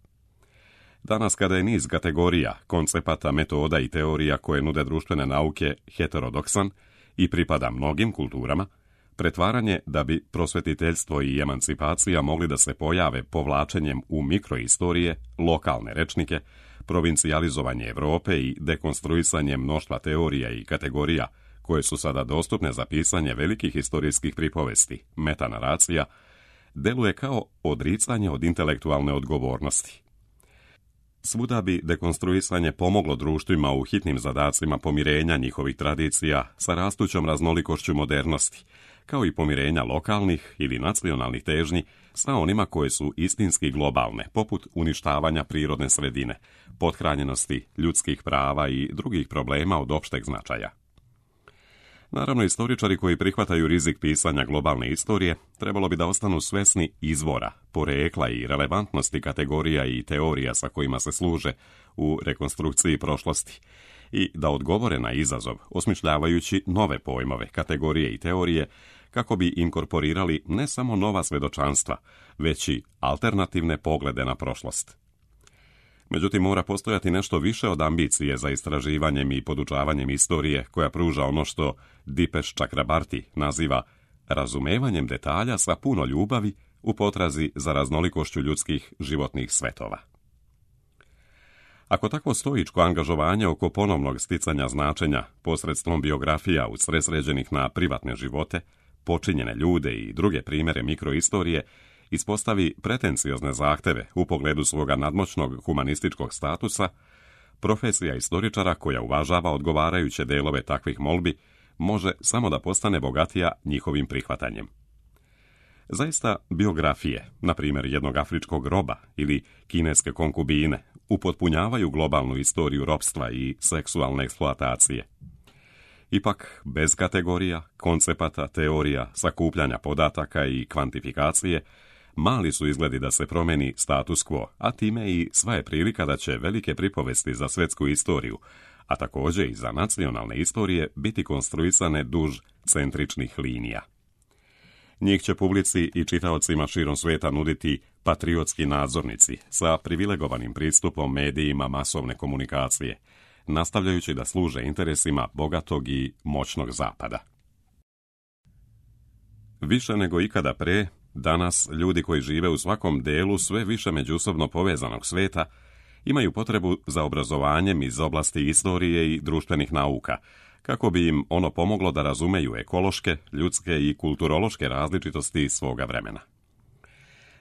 Danas, kada je niz kategorija, koncepata, metoda i teorija koje nude društvene nauke heterodoksan i pripada mnogim kulturama, pretvaranje da bi prosvetiteljstvo i emancipacija mogli da se pojave povlačenjem u mikroistorije, lokalne rečnike, provincijalizovanje Evrope i dekonstruisanje mnoštva teorija i kategorija koje su sada dostupne za pisanje velikih historijskih pripovesti, metanaracija, deluje kao odricanje od intelektualne odgovornosti. Svuda bi dekonstruisanje pomoglo društvima u hitnim zadacima pomirenja njihovih tradicija sa rastućom raznolikošću modernosti, kao i pomirenja lokalnih ili nacionalnih težnji sa onima koje su istinski globalne, poput uništavanja prirodne sredine, pothranjenosti ljudskih prava i drugih problema od opšteg značaja. Naravno, istoričari koji prihvataju rizik pisanja globalne istorije trebalo bi da ostanu svesni izvora, porekla i relevantnosti kategorija i teorija sa kojima se služe u rekonstrukciji prošlosti i da odgovore na izazov osmišljavajući nove pojmove, kategorije i teorije kako bi inkorporirali ne samo nova svedočanstva, već i alternativne poglede na prošlost. Međutim, mora postojati nešto više od ambicije za istraživanjem i podučavanjem istorije koja pruža ono što Dipesh Chakrabarti naziva razumevanjem detalja sa puno ljubavi u potrazi za raznolikošću ljudskih životnih svetova. Ako takvo stoičko angažovanje oko ponovnog sticanja značenja posredstvom biografija usredsređenih na privatne živote, počinjene ljude i druge primjere mikroistorije, ispostavi pretenciozne zahteve u pogledu svoga nadmoćnog humanističkog statusa, profesija istoričara koja uvažava odgovarajuće delove takvih molbi može samo da postane bogatija njihovim prihvatanjem. Zaista, biografije, na primjer jednog afričkog roba ili kineske konkubine, upotpunjavaju globalnu istoriju ropstva i seksualne eksploatacije. Ipak, bez kategorija, koncepata, teorija, sakupljanja podataka i kvantifikacije, mali su izgledi da se promeni status quo, a time i sva je prilika da će velike pripovesti za svjetsku istoriju, a također i za nacionalne istorije, biti konstruisane duž centričnih linija. Njih će publici i čitaocima širom svijeta nuditi patriotski nadzornici sa privilegovanim pristupom medijima masovne komunikacije, nastavljajući da služe interesima bogatog i moćnog zapada. Više nego ikada pre, Danas, ljudi koji žive u svakom delu sve više međusobno povezanog sveta imaju potrebu za obrazovanjem iz oblasti istorije i društvenih nauka, kako bi im ono pomoglo da razumeju ekološke, ljudske i kulturološke različitosti svoga vremena.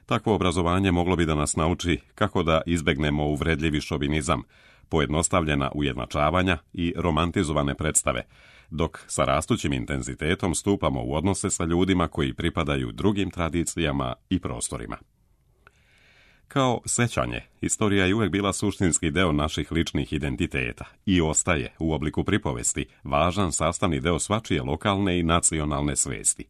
Takvo obrazovanje moglo bi da nas nauči kako da izbegnemo uvredljivi šovinizam, pojednostavljena ujednačavanja i romantizovane predstave, dok sa rastućim intenzitetom stupamo u odnose sa ljudima koji pripadaju drugim tradicijama i prostorima. Kao sećanje, istorija je uvijek bila suštinski deo naših ličnih identiteta i ostaje, u obliku pripovesti, važan sastavni deo svačije lokalne i nacionalne svesti.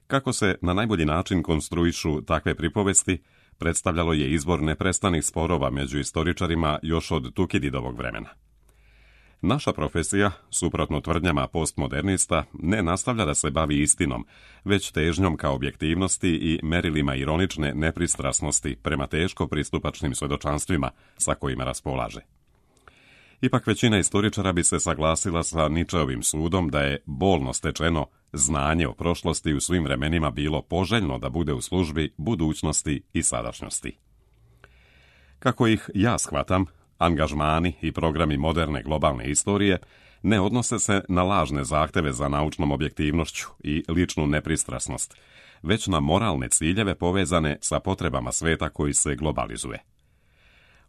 Kako se na najbolji način konstruišu takve pripovesti, predstavljalo je izvor neprestanih sporova među istoričarima još od Tukididovog vremena. Naša profesija, suprotno tvrdnjama postmodernista, ne nastavlja da se bavi istinom, već težnjom ka objektivnosti i merilima ironične nepristrasnosti prema teško pristupačnim svedočanstvima sa kojima raspolaže. Ipak većina istoričara bi se saglasila sa Ničeovim sudom da je bolno stečeno znanje o prošlosti u svim vremenima bilo poželjno da bude u službi budućnosti i sadašnjosti. Kako ih ja shvatam, angažmani i programi moderne globalne istorije ne odnose se na lažne zahteve za naučnom objektivnošću i ličnu nepristrasnost, već na moralne ciljeve povezane sa potrebama sveta koji se globalizuje.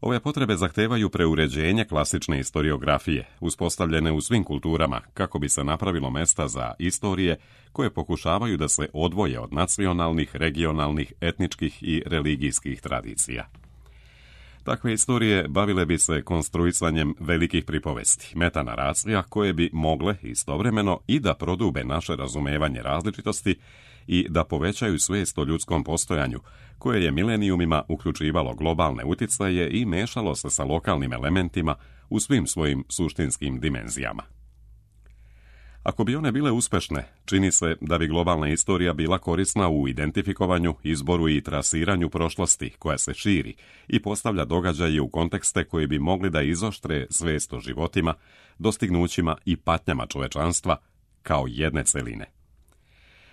Ove potrebe zahtevaju preuređenje klasične historiografije, uspostavljene u svim kulturama, kako bi se napravilo mesta za istorije koje pokušavaju da se odvoje od nacionalnih, regionalnih, etničkih i religijskih tradicija. Takve istorije bavile bi se konstruisanjem velikih pripovesti, metanaracija, koje bi mogle istovremeno i da prodube naše razumevanje različitosti i da povećaju svijest o ljudskom postojanju, koje je milenijumima uključivalo globalne uticaje i mešalo se sa lokalnim elementima u svim svojim suštinskim dimenzijama. Ako bi one bile uspešne, čini se da bi globalna istorija bila korisna u identifikovanju, izboru i trasiranju prošlosti koja se širi i postavlja događaje u kontekste koji bi mogli da izoštre svijest o životima, dostignućima i patnjama čovečanstva kao jedne celine.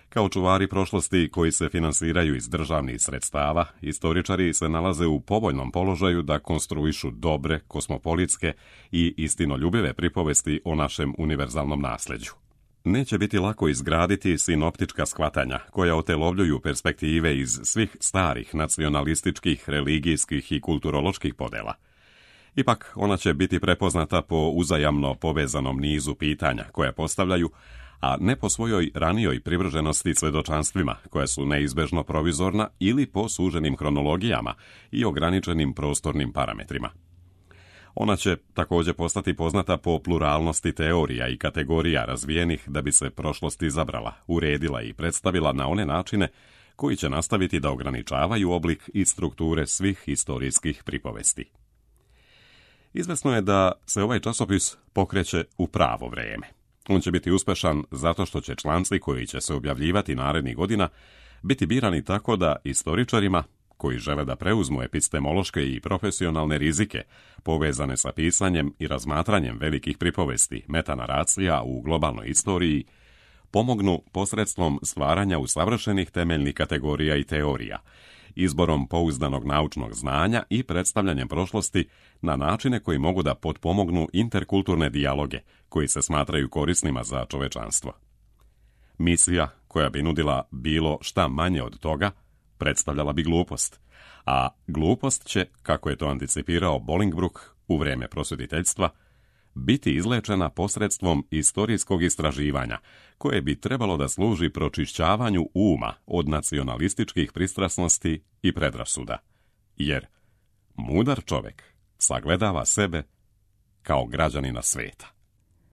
Kao čuvari prošlosti koji se finansiraju iz državnih sredstava, istoričari se nalaze u povoljnom položaju da konstruišu dobre, kosmopolitske i istinoljubive pripovesti o našem univerzalnom nasljeđu. Neće biti lako izgraditi sinoptička shvatanja koja otelovljuju perspektive iz svih starih nacionalističkih, religijskih i kulturoloških podela. Ipak ona će biti prepoznata po uzajamno povezanom nizu pitanja koja postavljaju, a ne po svojoj ranijoj privrženosti svedočanstvima, koja su neizbežno provizorna ili po suženim hronologijama i ograničenim prostornim parametrima. Ona će također postati poznata po pluralnosti teorija i kategorija razvijenih da bi se prošlost izabrala, uredila i predstavila na one načine koji će nastaviti da ograničavaju oblik i strukture svih historijskih pripovesti. Izvesno je da se ovaj časopis pokreće u pravo vrijeme. On će biti uspešan zato što će članci koji će se objavljivati narednih godina biti birani tako da istoričarima, koji žele da preuzmu epistemološke i profesionalne rizike povezane sa pisanjem i razmatranjem velikih pripovesti, metanaracija u globalnoj istoriji, pomognu posredstvom stvaranja usavršenih temeljnih kategorija i teorija, izborom pouzdanog naučnog znanja i predstavljanjem prošlosti na načine koji mogu da potpomognu interkulturne dijaloge koji se smatraju korisnima za čovečanstvo. Misija koja bi nudila bilo šta manje od toga predstavljala bi glupost, a glupost će, kako je to anticipirao Bolingbroke u vrijeme prosvjetiteljstva, biti izlečena posredstvom istorijskog istraživanja, koje bi trebalo da služi pročišćavanju uma od nacionalističkih pristrasnosti i predrasuda, jer mudar čovjek sagledava sebe kao građanina sveta.